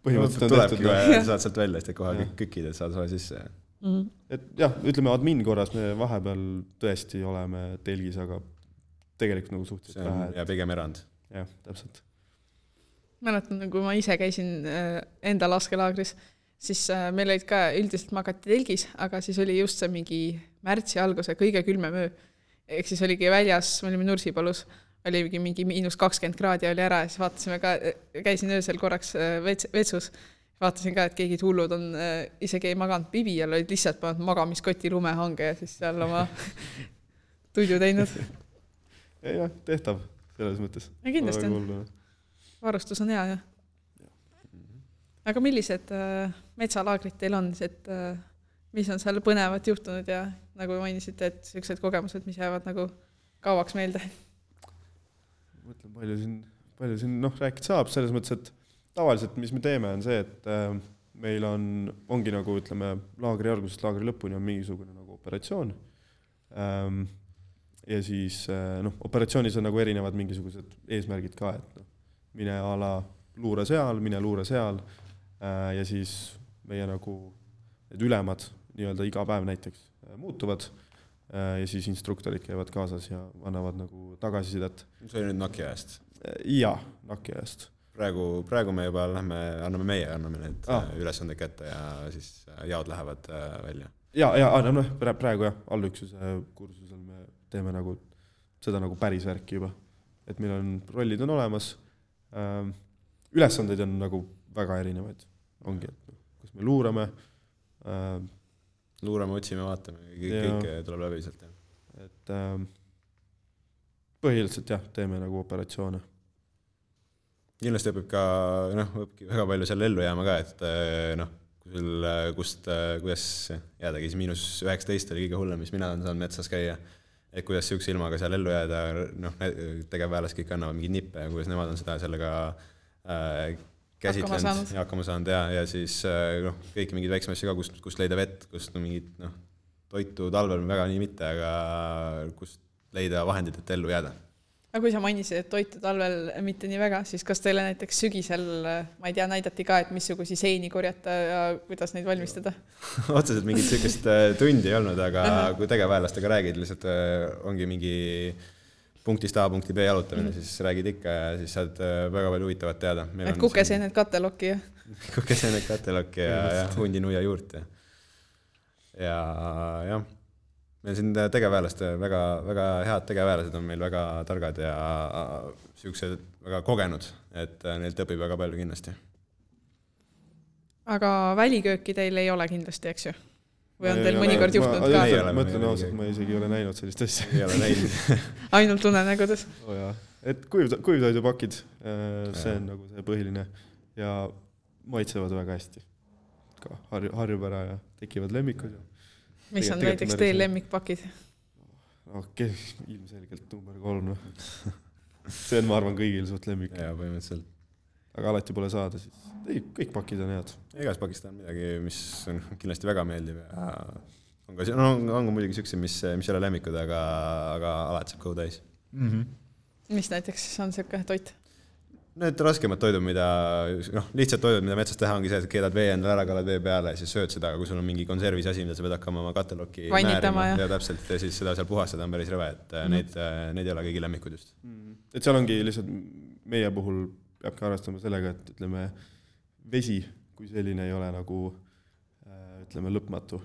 Põhimõtteliselt on tehtud. Tulebki, saad sealt välja, siis kohe kükid, et saad soe sisse. Mm-hmm. Et jah, ütleme admin korras me vahepeal tõesti oleme telgis, aga tegelikult nagu suhteliselt vähe. Ja pigem erand. Jah, täpselt. Mäletan, kui ma ise käisin enda laskelaagris, siis meil olid ka üldiselt magati telgis, aga siis oli just see mingi märtsi alguse kõige külmem öö. Ehk siis oligi väljas, me olime Nursipalus, oli mingi miinus kakskümmend kraadi oli ära ja siis vaatasime ka, käisin öösel korraks vetsus, vaatasin ka, et keegi hullud on isegi ei maganud pibi ja olid lihtsalt pannud magamiskoti lumehange ja siis seal oma tuidu teinud. Ja, ja, tehtav selles mõttes. Ja kindlasti on. Varustus on hea, jah. Aga millised metsalaagrid teil on, et mis on seal põnevat juhtunud ja nagu mainisite, et sellised kogemused, mis jäävad nagu kauaks meelde? Mõtlen, palju siin, palju siin noh, rääkida saab selles mõttes, et tavaliselt, mis me teeme, on see, et äh, meil on, ongi nagu, ütleme, laagri algusest laagri lõpuni on mingisugune nagu operatsioon. Ähm, ja siis, äh, noh, operatsioonis on nagu erinevad mingisugused eesmärgid ka, et noh, mine ala luure seal, mine luure seal äh, ja siis meie nagu need ülemad nii-öelda iga päev näiteks äh, muutuvad äh, ja siis instruktorid käivad kaasas ja annavad nagu tagasisidet. See oli nüüd Nokia eest? Jaa, Nokia eest. Praegu, praegu me juba lähme, anname meie, anname need ah. ülesande kätte ja siis jaod lähevad välja. Ja, ja no, praegu jah, allüksuse kursusel me teeme nagu seda nagu päris värki juba. Et meil on, rollid on olemas, ülesandeid on nagu väga erinevaid. Ongi, et kus me luurame. Luurame, otsime, vaatame, kõik tuleb läbi sealt. Et põhiliselt jah, teeme nagu operatsioone. Kindlasti õpib ka, noh, õpib väga palju seal ellu jääma ka, et noh, sul, kust, kuidas jäädagi, siis miinus üheksateist oli kõige hullem, mis mina olen saanud metsas käia, et kuidas siukse ilmaga seal ellu jääda, noh, tegevväelas kõik annavad mingid nippe ja kuidas nemad on seda sellega äh, käsitlenud ja hakkama saanud ja, ja siis noh, kõik mingid väiksem asja ka, kust, kust leida vett, kust no, mingid noh, toitu talvel väga nii mitte, aga kust leida vahendid, et ellu jääda. Aga kui sa mainisid, et toitu talvel mitte nii väga, siis kas teile näiteks sügisel, ma ei tea, näidati ka, et missugusi seini korjata ja kuidas neid valmistada? Otseselt mingit sükest tundi ei olnud, aga kui tegevväelastega räägid, lihtsalt ongi mingi punktist A punkti B jalutamine, siis räägid ikka ja siis saad väga palju huvitavat teada. Meil et kukeseened kattelokki ja? Kukeseened kattelokki ja, ja hundi nuia juurt ja, ja jah. Meil siin tegevväelased, väga, väga head tegevväelased on meil väga targad ja siuksed väga kogenud, et neilt õpib väga palju kindlasti. Aga välikööki teil ei ole kindlasti, eks ju? Või on teil mõnikord juhtunud ka? Ma mõtlen ausalt, ma isegi ei ole näinud sellist asja. Ei ole näinud. Ainult unenägudes? Oh jaa. Et kuivtoidupakid, see on nagu see põhiline ja maitsevad väga hästi. Ka harjub ära ja tekivad lemmikud ja mis on näiteks teil lemmikpakid? Okei, ilmselgelt number kolm. No. See on, ma arvan, kõigil suht lemmik. Ja, põhimõtteliselt. Aga alati pole saada, siis ei, kõik pakid on head. Igas pakist on midagi, mis on kindlasti väga meeldiv. Ja on, ka, no, on ka muidugi sükse, mis, mis ei ole lemmikud, aga, aga alati saab kõhu täis. Mm-hmm. Mis näiteks on selline toit? Need raskemad toidud, mida, noh, lihtsalt toidud, mida metsas teha, ongi see, et keedad vee endale ära, kallad vee peale ja siis sööd seda, kui sul on mingi konservis asi, mida sa pead hakkama oma kattelokki määrima ja. ja täpselt, ja siis seda seal puhastada on päris rõve, et mm-hmm. neid, neid ei ole kõigi lemmikud just. Mm-hmm. Et seal ongi lihtsalt meie puhul peabki arvestama sellega, et ütleme, vesi kui selline ei ole nagu, ütleme, lõpmatu.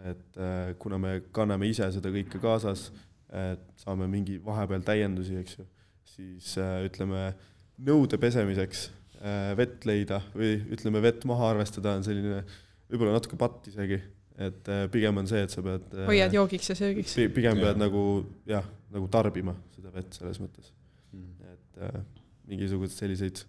Et kuna me kanname ise seda kõike kaasas, et saame mingi vahepeal täiendusi, eks ju, siis ütleme, nõude pesemiseks vett leida või ütleme vett maha arvestada on selline võib-olla natuke patt isegi, et pigem on see, et sa pead hoiad joogiks ja söögiks. Pigem pead nagu, jah, nagu tarbima seda vett selles mõttes. Mm. Et äh, mingisugused selliseid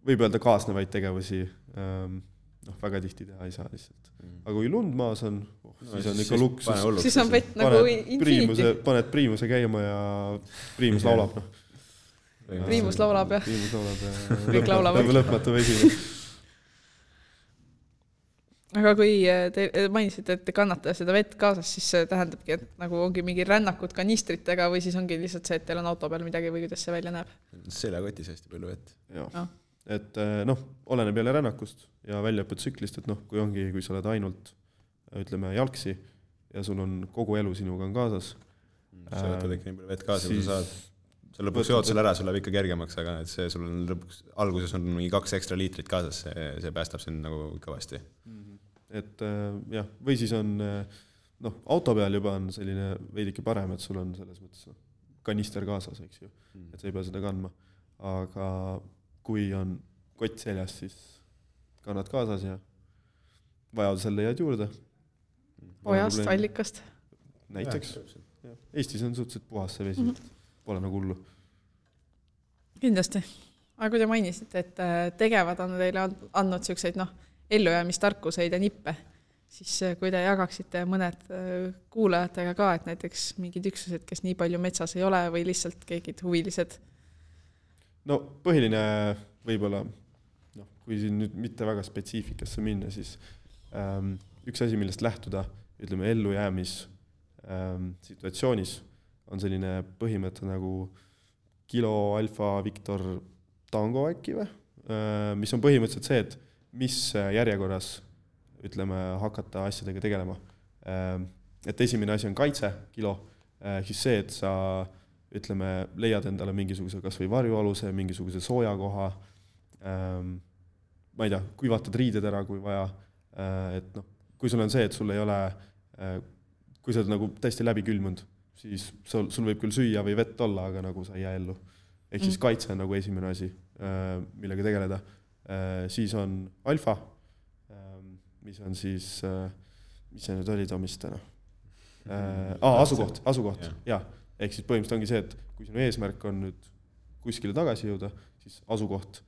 võib öelda kaasnevaid tegevusi ähm, noh, väga tihti teha ei saa lihtsalt. Mm. Aga kui lund maas on, oh, no, siis on ikka luksus. Siis on vett nagu infinity. Paned priimuse käima ja priimus laulab, noh. Priimus laulab, jah. Priimus laulab, kõik laulab. Lõpmatu vesi. aga kui te mainisite, et te kannate seda vett kaasas, siis see tähendabki, et nagu ongi mingi rännakud kanistritega või siis ongi lihtsalt see, et teil on auto peal midagi või kuidas see välja näeb? Seljakotis hästi palju vett. Joo. No. Et noh, oleneb jälle rännakust ja väljaõpetsüklist, et noh, kui ongi, kui sa oled ainult, ütleme, jalgsi ja sul on kogu elu sinuga on kaasas. Sa võtad ikka nii palju vett kaasa, kui sa saad. Sa lõpuks jood selle ära, sul läheb ikka kergemaks, aga et see sul on lõpuks, alguses on mingi kaks ekstra liitrit kaasas, see, see päästab sind nagu kõvasti. Et jah, või siis on, noh, auto peal juba on selline veidike parem, et sul on selles mõttes kanister kaasas, eks ju, et sa ei pea seda kandma. Aga kui on kott seljas, siis kannad kaasas ja vajadusel leiad juurde. Ojast, allikast. Näiteks. Ja, Eestis on suhteliselt puhas see vesi, mm-hmm. Pole nagu hullu. Kindlasti. Aga kui te mainisite, et tegevad on teile andnud selliseid noh, ellujäämistarkuseid ja nippe, siis kui te jagaksite mõned kuulajatega ka, et näiteks mingid üksused, kes nii palju metsas ei ole või lihtsalt keegid huvilised? No põhiline võib-olla, no, kui siin nüüd mitte väga spetsiifikasse minna, siis ähm, üks asi, millest lähtuda, ütleme, ellujäämis ähm, situatsioonis on selline põhimõte nagu kilo alfa Victor tango äkki või, mis on põhimõtteliselt see, et mis järjekorras ütleme, hakata asjadega tegelema. Et esimene asi on kaitse, kilo, siis see, et sa ütleme, leiad endale mingisuguse kas või varjualuse, mingisuguse soojakoha, ma ei tea, kuivatad riided ära, kui vaja, et noh, kui sul on see, et sul ei ole, kui sa oled nagu täiesti läbi külmunud, siis sul, sul võib küll süüa või vett olla, aga nagu sa ei jää ellu. Ehk siis kaitse on nagu esimene asi, millega tegeleda. Siis on alfa, mis on siis, mis see nüüd oli Tomistena? Ah, asukoht, asukoht, jah. Ehk siis põhimõtteliselt ongi see, et kui sinu eesmärk on nüüd kuskile tagasi jõuda, siis asukoht,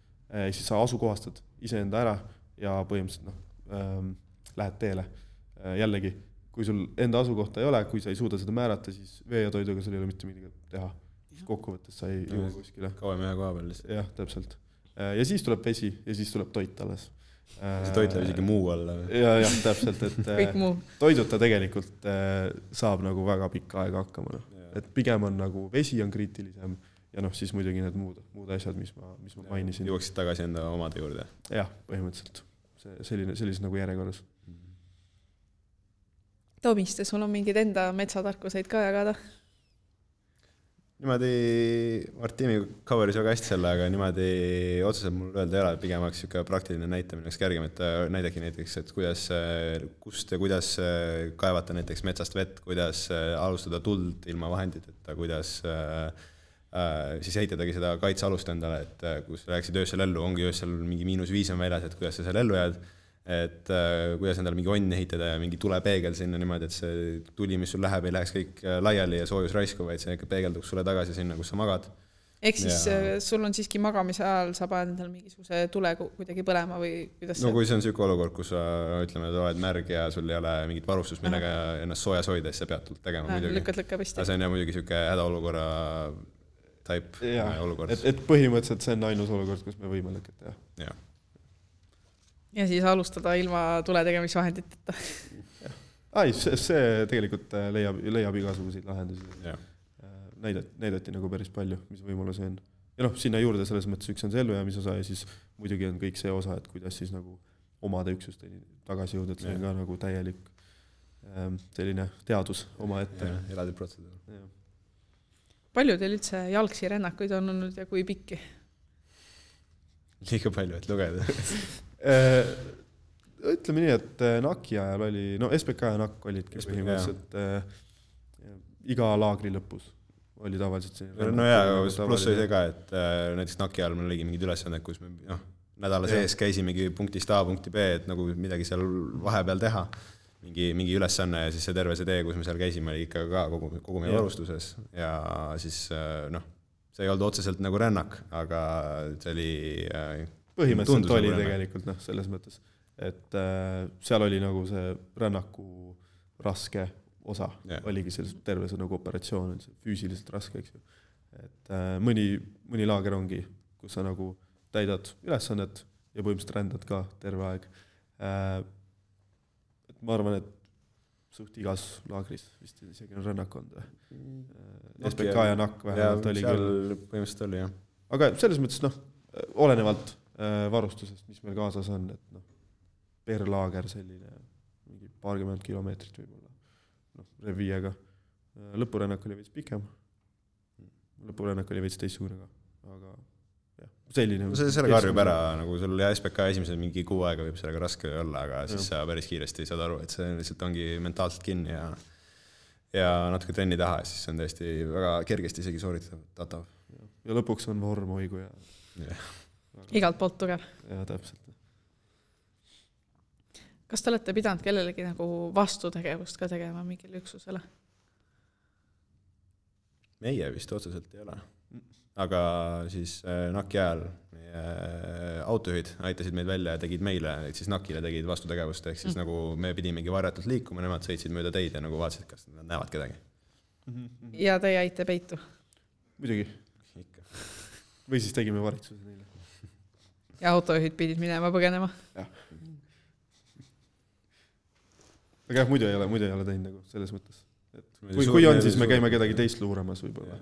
siis sa asukohastad iseenda ära ja põhimõtteliselt noh, lähed teele. Jällegi, kui sul enda asukohta ei ole, kui sa ei suuda seda määrata, siis vee ja toiduga sul ei ole mitte midagi teha. Kokkuvõttes sa ei jõua kuskile. Kauem ühe koha peal. Jah, täpselt. Ja siis tuleb vesi ja siis tuleb toit alles. See toit läheb isegi muu alla. Ja, jah, täpselt. Et toiduta tegelikult saab nagu väga pikka aega hakkama. No. Et pigem on nagu vesi on kriitilisem ja noh, siis muidugi need muud, muud asjad, mis ma, mis ma mainisin. Jõuaksid tagasi enda omade juurde. Jah, põhimõtteliselt. See, selline, sellises nagu järjekorras. Tomiste, sul on mingid enda metsatarkuseid ka jagada? Niimoodi, Martini coveris väga hästi selle, aga niimoodi otseselt mul öelda ei ole, pigem oleks siuke praktiline näitamine oleks kergem, et näidagi näiteks, et kuidas, kust ja kuidas kaevata näiteks metsast vett, kuidas alustada tuld ilma vahenditeta, kuidas siis ehitadagi seda kaitsealust endale, et kus rääksid öösel ellu, ongi öösel mingi miinus viis on väljas, et kuidas sa seal ellu jääd, et uh, kuidas endale mingi onn ehitada ja mingi tulepeegel sinna niimoodi, et see tuli, mis sul läheb, ei läheks kõik laiali ja soojus raisku, vaid see ikka peegelduks sulle tagasi sinna, kus sa magad. Ehk siis ja... sul on siiski magamise ajal, sa paned endale mingisuguse tule kuidagi põlema või kuidas no kui see on süke olukord, kus sa ütleme, et oled märg ja sul ei ole mingit varustus, millega Aha. ennast soojas hoida, siis sa pead tult tegema Aha, muidugi. Lükkad lõkka vist. Aga see on jah muidugi süke hädaolukorra type ja, olukord. Et, et põhimõtteliselt see on ainus olukord, kus me võime lõkata. Ja. Ja. Ja siis alustada ilma tule tegemisvahenditeta. Ai, see, see tegelikult leiab, leiab igasuguseid lahendusi. Näidati, näidati nagu päris palju, mis võimalus on. Ja noh, sinna juurde selles mõttes üks on see ellujäämise osa ja siis muidugi on kõik see osa, et kuidas siis nagu omade üksusteni tagasi jõuda, et see on ka nagu täielik ähm, selline teadus oma ette. Eraldi protseduur. Ja. Palju teil üldse jalgsi rännakuid on olnud ja kui pikki? Liiga palju, et lugeda. Ütleme nii, et Naki ajal oli, no S P K ja Nak olid põhimõtteliselt äh, iga laagri lõpus oli tavaliselt see. No jaa, pluss oli see ka, et äh, näiteks Naki ajal meil oligi mingid ülesanded, kus me no, nädala sees käisimegi punktist A punkti B, et nagu midagi seal vahepeal teha, mingi, mingi ülesanne ja siis see terve see tee, kus me seal käisime, oli ikka ka kogu, kogu meie varustuses ja siis äh, noh, see ei olnud otseselt nagu rännak, aga see oli äh, põhimõtteliselt oli tegelikult noh, selles mõttes, et äh, seal oli nagu see rännaku raske osa, yeah. oligi selles terve see nagu operatsioon, see füüsiliselt raske, eks ju. Et äh, mõni, mõni laager ongi, kus sa nagu täidad ülesannet ja põhimõtteliselt rändad ka terve aeg. Äh, ma arvan, et suht igas laagris vist isegi on rännak olnud. S B K ja N A K vähemalt oli küll. Põhimõtteliselt oli, jah. Aga selles mõttes, noh, olenevalt varustusest, mis meil kaasas on, et noh, per laager selline mingi paarkümmend kilomeetrit võib-olla, noh, reviiega. Lõpurännak oli veits pikem, lõpurännak oli veits teistsugune ka, aga jah, selline. No see selle karjub ära, nagu sul S B K esimese mingi kuu aega võib sellega raske olla, aga siis sa päris kiiresti saad aru, et see lihtsalt ongi mentaalselt kinni ja, ja natuke trenni taha, siis see on tõesti väga kergesti isegi sooritatav. Ja lõpuks on vorm hoigu ja... Yeah. Igalt poolt tugev. Ja täpselt. Kas te olete pidanud kellelegi nagu vastutegevust ka tegema mingil üksusele? Meie vist otseselt ei ole. Aga siis N A K-i ajal meie autojuhid aitasid meid välja ja tegid meile, et siis N A K-ile tegid vastutegevust, ehk siis mm. nagu me pidimegi varjatult liikuma, nemad sõitsid mööda teid ja nagu vaatasid, kas nad näevad kedagi. Mm-hmm. Ja te jäite peitu? Muidugi. Ikka. Või siis tegime varitsuse neile. Ja autojuhid pidid minema põgenema? Jah. Aga jah, muidu ei ole, muidu ei ole teinud nagu selles mõttes. Et kui, kui on, siis me käime kedagi teist luuramas võib-olla.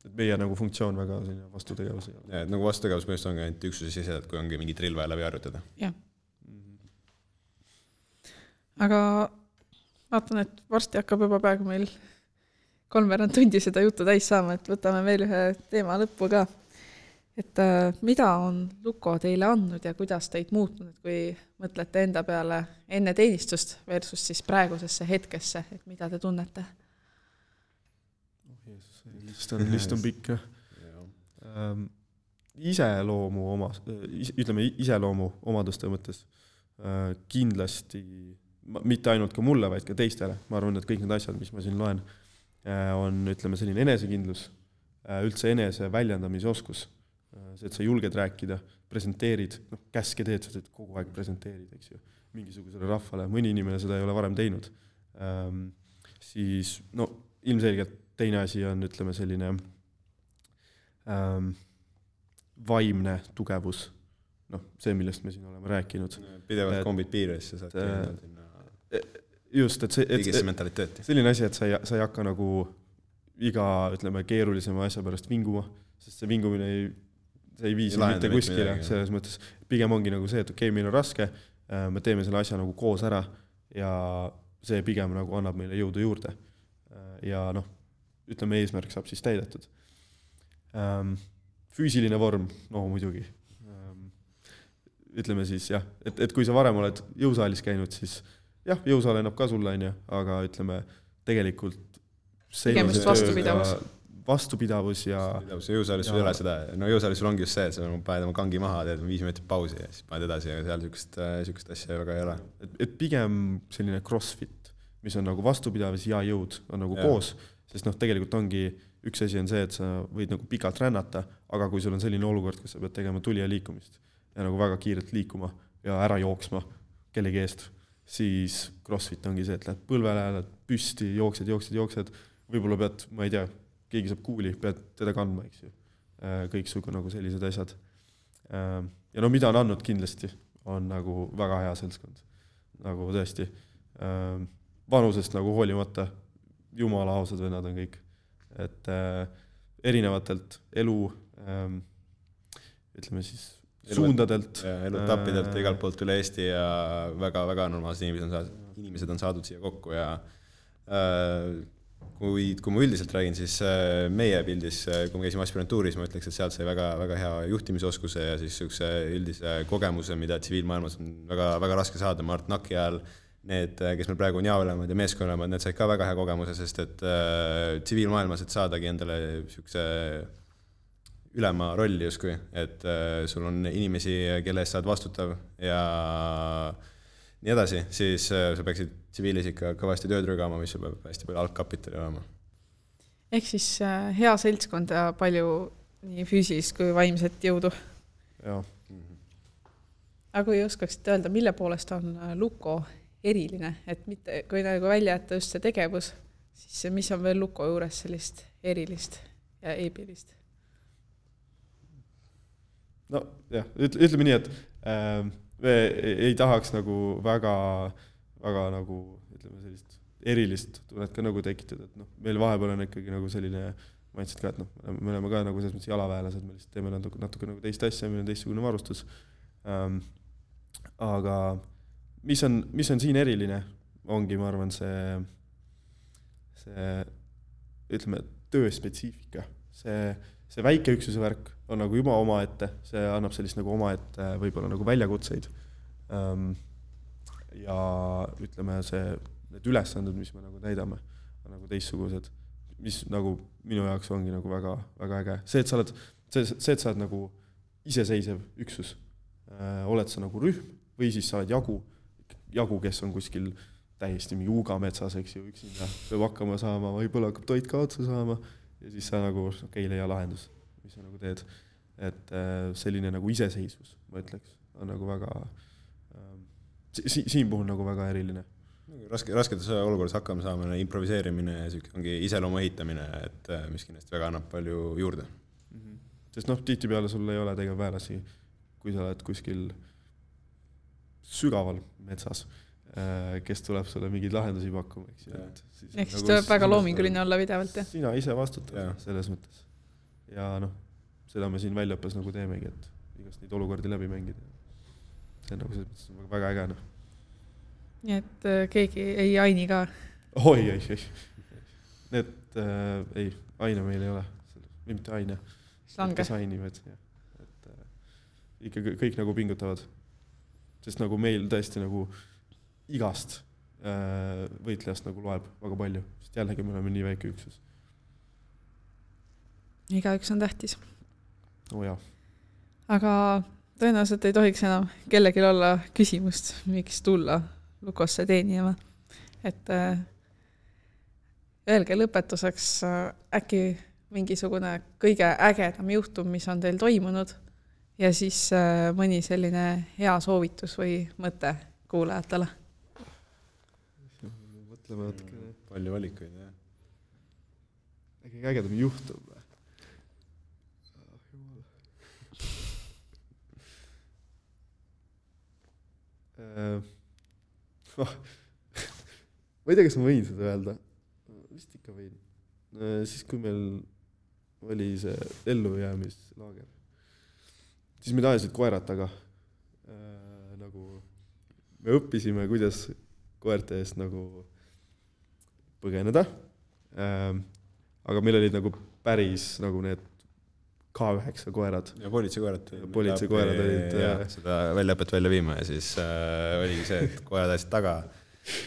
Et meie nagu funktsioon väga vastutegevus ei ole. Ja, et nagu vastutegevus põhjust ongi ainult üksuse sisse, et kui ongi mingi drill vaja läbi harjutada. Jah. Aga vaatan, et varsti hakkab juba praegu meil kolmveerand tundi seda juttu täis saama, et võtame veel ühe teema lõppu ka. Et äh, mida on Luko teile andnud ja kuidas teid muutnud, et kui mõtlete enda peale enne teenistust versus siis praegusesse hetkesse, et mida te tunnete? Oh, Jeesus, list on, list on pikk. Ähm, iseloomu oma, ütleme iseloomu omaduste mõttes äh, kindlasti, mitte ainult ka mulle, vaid ka teistele. Ma arvan, et kõik need asjad, mis ma siin loen, äh, on ütleme selline enesekindlus, äh, üldse enese väljendamise oskus. See, et sa julged rääkida, presenteerid, noh, käske teed, sa teed kogu aeg presenteerid, eks ju, mingisugusele rahvale. Mõni inimene seda ei ole varem teinud. Ähm, siis, no, ilmselgelt teine asi on, ütleme, selline ähm, vaimne tugevus. Noh, see, millest me siin oleme rääkinud. Pidevalt kombid piires ja saad äh, just, et see, et, mentaliteeti. Selline asi, et sa ei, sa ei hakka nagu iga, ütleme, keerulisema asja pärast vinguma, sest see vingumine ei see ei viisi mitte kuskile, selles mõttes pigem ongi nagu see, et okei, okay, meil on raske, me teeme selle asja nagu koos ära ja see pigem nagu annab meile jõudu juurde. Ja noh, ütleme, eesmärk saab siis täidetud. Füüsiline vorm, no muidugi. Ütleme siis jah, et, et kui sa varem oled jõusaalis käinud, siis jah, jõusaal ennab ka sulle, aga ütleme, tegelikult pigem just vastupidavus. vastupidavus ja... Jõusaalis sul ei ole seda, no jõusaalis sul ongi just see, et sa paned oma kangi maha, teed viis meetrit pausi ja siis paned edasi ja seal sükest, sükest asja väga ei ole. Et, et pigem selline crossfit, mis on nagu vastupidavus ja jõud on nagu ja. Koos, sest noh, tegelikult ongi üks asi on see, et sa võid nagu pikalt rännata, aga kui sul on selline olukord, kus sa pead tegema tuli ja liikumist ja nagu väga kiirelt liikuma ja ära jooksma kellegi eest, siis crossfit ongi see, et lähed põlvele, lähed püsti, jooksed, jooksed, jooksed, võib-olla pead, ma ei tea, keegi saab kuuli, pead teda kandma, eks ju. Kõik sugu nagu sellised asjad. Ja no mida on andnud kindlasti, on nagu väga hea seltskond. Nagu tõesti. Vanusest nagu hoolimata, jumala ausad vennad on kõik. Et erinevatelt elu, ütleme siis, suundadelt. Elutappidelt igalt poolt üle Eesti ja väga-väga normaalsed inimesed on, saadud, inimesed on saadud siia kokku ja Kui, kui ma üldiselt räägin, siis meie pildis, kui me käisime aspirantuuris, ma ütleks, et sealt sai väga, väga hea juhtimisoskuse ja siis üks üldise kogemuse, mida tsiviilmaailmas on väga, väga raske saada. Mart N A K-i ajal need, kes meil praegu on jaolemad ja meeskonnalemad, need said ka väga hea kogemuse, sest et äh, tsiviilmaailmas, et saadagi endale sükse ülema rolli justkui, et äh, sul on inimesi, kelle eest saad vastutav ja nii edasi, siis sa peaksid tsiviilisika kõvasti tööd rügama, mis sul peab hästi palju algkapitali olema. Ehk siis hea seltskond ja palju nii füüsilist kui vaimset jõudu. Jah. Aga kui oskaksite öelda, mille poolest on Luko eriline, et mitte, kui nagu välja jätta just see tegevus, siis mis on veel Luko juures sellist erilist ja eepilist? No jah, ütleme nii, et äh, me ei tahaks nagu väga, väga nagu ütleme sellist erilist tunnet ka nagu tekitada, et noh, meil vahepeal on ikkagi nagu selline mindset ka, et noh, me oleme ka nagu selles mõttes jalaväelased, me lihtsalt teeme natuke, natuke nagu teist asja, meil on teistsugune varustus. Ähm, aga mis on, mis on siin eriline, ongi, ma arvan, see, see ütleme, tööspetsiifika. See, see väike üksuse värk on nagu juba oma ette, see annab sellist nagu oma ette võib-olla nagu väljakutseid. Ähm, ja ütleme, see, need ülesanded, mis me nagu täidame, on nagu teistsugused, mis nagu minu jaoks ongi nagu väga, väga äge. See, et sa oled, see, see, et sa oled nagu iseseisev üksus, äh, oled sa nagu rühm või siis sa oled jagu, jagu, kes on kuskil täiesti mingi uugametsas, eks ju, üksinda peab hakkama saama, võib-olla hakkab toit ka otsa saama ja siis sa nagu, okei, leia lahendus, mis sa nagu teed. Et äh, selline nagu iseseisvus, ma ütleks, on nagu väga äh, si siin puhul nagu väga eriline. Raske, rasketes olukorras hakkama saama, improviseerimine ja ongi iseloomu ehitamine, et mis kindlasti väga annab palju juurde. Mm-hmm. Sest noh, tihtipeale sul ei ole tegevväelasi, kui sa oled kuskil sügaval metsas, kes tuleb sulle mingeid lahendusi pakkuma. Eks, ja, siis ehk siis tuleb väga loominguline olla pidevalt. Ja? Sina ise vastutad ja. Selles mõttes. Ja noh, seda me siin väljaõppes nagu teemegi, et igast neid olukordi läbi mängida. See on nagu selles mõttes väga äge. No. Nii et äh, keegi ei aini ka? Oi, ei, ei. Need, äh, ei, aine meil ei ole. Mitte aine. Slange. Kes ainivad. Ja. Et, äh, ikka kõik nagu pingutavad. Sest nagu meil tõesti nagu igast äh, võitlejast nagu loeb väga palju. Sest jällegi me oleme nii väike üksus. Igaüks on tähtis. Oh, jah. Aga tõenäoliselt ei tohiks enam kellelgi olla küsimust, miks tulla Lukosse teenijama. Et äh, öelge lõpetuseks äh, äkki mingisugune kõige ägedam juhtum, mis on teil toimunud ja siis äh, mõni selline hea soovitus või mõte kuulajatele. Mõtleme võtke. Palju valikuid, jah. Äkki ägedam juhtum või? Uh, oh. ma ei tea, kas ma võin seda öelda. Vist ikka võin. Uh, siis kui meil oli see ellujäämislaager, siis me tahasid koerad taga. Uh, nagu me õppisime, kuidas koerte eest nagu põgeneda. Uh, aga meil olid nagu päris nagu need K üheksa koerad. Ja politseikoerad. Politseikoerad olid. Ja, seda väljaõpet välja viima ja siis äh, oligi see, et koerad ajasid taga.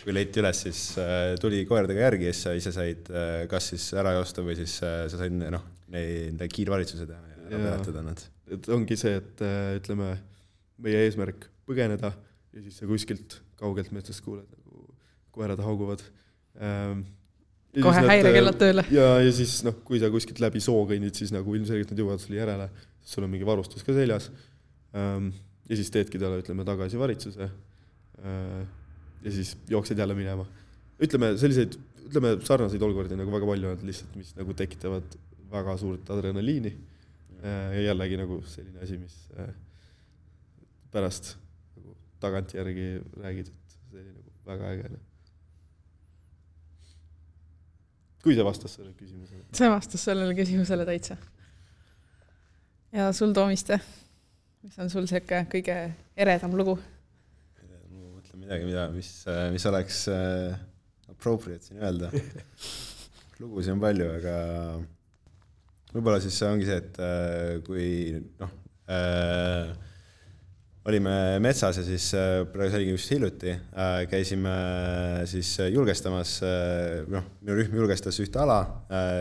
Kui leiti üles, siis äh, tuli koeradega järgi ja siis sa ise said äh, kas siis ära joosta või siis äh, sa said noh, neid kiirvalitsused ja ära peatada nad. Et ongi see, et äh, ütleme, meie eesmärk põgeneda ja siis sa kuskilt kaugelt metsast kuuled, nagu koerad hauguvad. Ähm, kohe häirekellad tööle. Ja, ja siis, noh, kui sa kuskilt läbi soo kõnnid, siis nagu ilmselgelt nad jõuavad sulle järele, siis sul on mingi varustus ka seljas. Ja siis teedki talle, ütleme, tagasi varitsuse ja siis jooksed jälle minema. Ütleme, selliseid, ütleme, sarnaseid olukordi nagu väga palju on lihtsalt, mis nagu tekitavad väga suurt adrenaliini ja jällegi nagu selline asi, mis pärast nagu tagant järgi räägid, et see oli nagu väga äge. Kui see vastas sellele küsimusele? See vastas sellele küsimusele täitsa. Ja sul, Toomiste, mis on sul selline kõige eredam lugu? Ma mõtlen midagi, mida, mis, mis oleks appropriate siin öelda. Lugusi on palju, aga võib-olla siis ongi see, et kui noh, äh, olime metsas ja siis praegu see oligi just hiljuti, käisime siis julgestamas, noh, minu rühm julgestas ühte ala,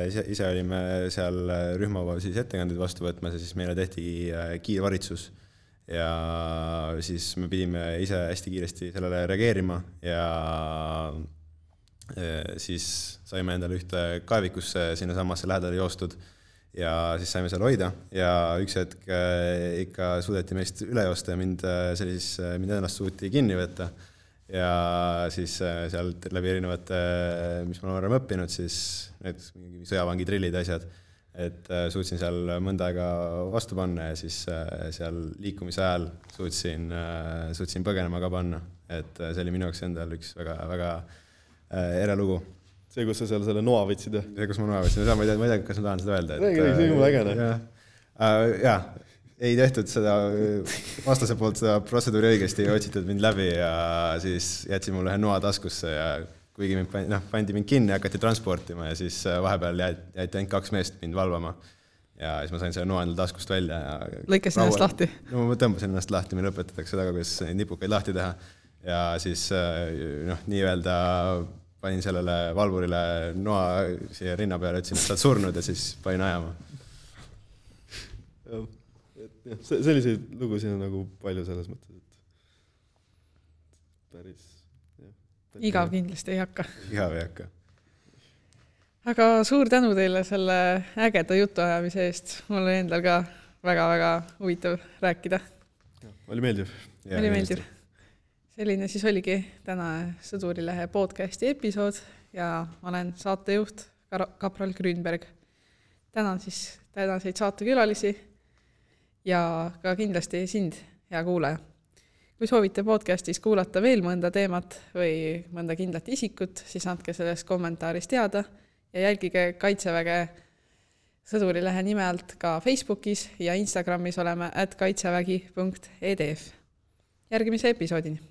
ise, ise olime seal rühma siis ettekandeid vastu võtmas ja siis meile tehti kiirvaritsus ja siis me pidime ise hästi kiiresti sellele reageerima ja siis saime endale ühte kaevikusse sinna samasse lähedale joostud ja siis saime seal hoida ja üks hetk ikka suudeti meist üle joosta ja mind, sellis, mind ennast suuti kinni võtta ja siis sealt läbi erinevate, mis ma olen varem õppinud, siis need sõjavangi trillid asjad, et suutsin seal mõnda aega vastu panna ja siis seal liikumise ajal suutsin, suutsin põgenema ka panna. et see oli minu jaoks endal üks väga, väga ere lugu. See, kus sa seal selle noa võtsid? See, kus ma noa võtsin, ma ei tea, ma ei tea, kas ma tahan seda öelda. Räägi, see on mul ägene. Jaa, ei tehtud seda vastase poolt seda protseduuri õigesti, otsitud mind läbi ja siis jätsin mulle ühe noa taskusse ja kuigi mind pandi, noh, pandi mind kinni, hakati transportima ja siis vahepeal jäeti ainult kaks meest mind valvama. Ja siis ma sain selle noa endal taskust välja. Ja lõikasin ennast lahti? No ma tõmbasin ennast lahti, meil õpetatakse seda, kuidas nipukaid lahti teha. Ja siis noh, nii öelda panin sellele valvurile noa siia rinna peale, ütlesin, et sa oled surnud ja siis panin ajama. Selliseid lugusid on nagu palju selles mõttes, et päris... Jah, päris igav kindlasti ei hakka. Igav ei hakka. Aga suur tänu teile selle ägeda jutuajamise eest. Mul oli endal ka väga-väga huvitav rääkida. Ja, oli meeldiv. Ja, oli meeldiv. Selline siis oligi täna Sõdurilehe podcasti episood ja ma olen saatejuht Kapral Grünberg. Tänan siis tänaseid saatekülalisi ja ka kindlasti sind, hea kuulaja. Kui soovite podcastis kuulata veel mõnda teemat või mõnda kindlat isikut, siis andke sellest kommentaaris teada ja jälgige Kaitseväge Sõdurilehe nime alt ka Facebookis ja Instagramis oleme at kaitsevägi punkt e d f. Järgimise episoodini!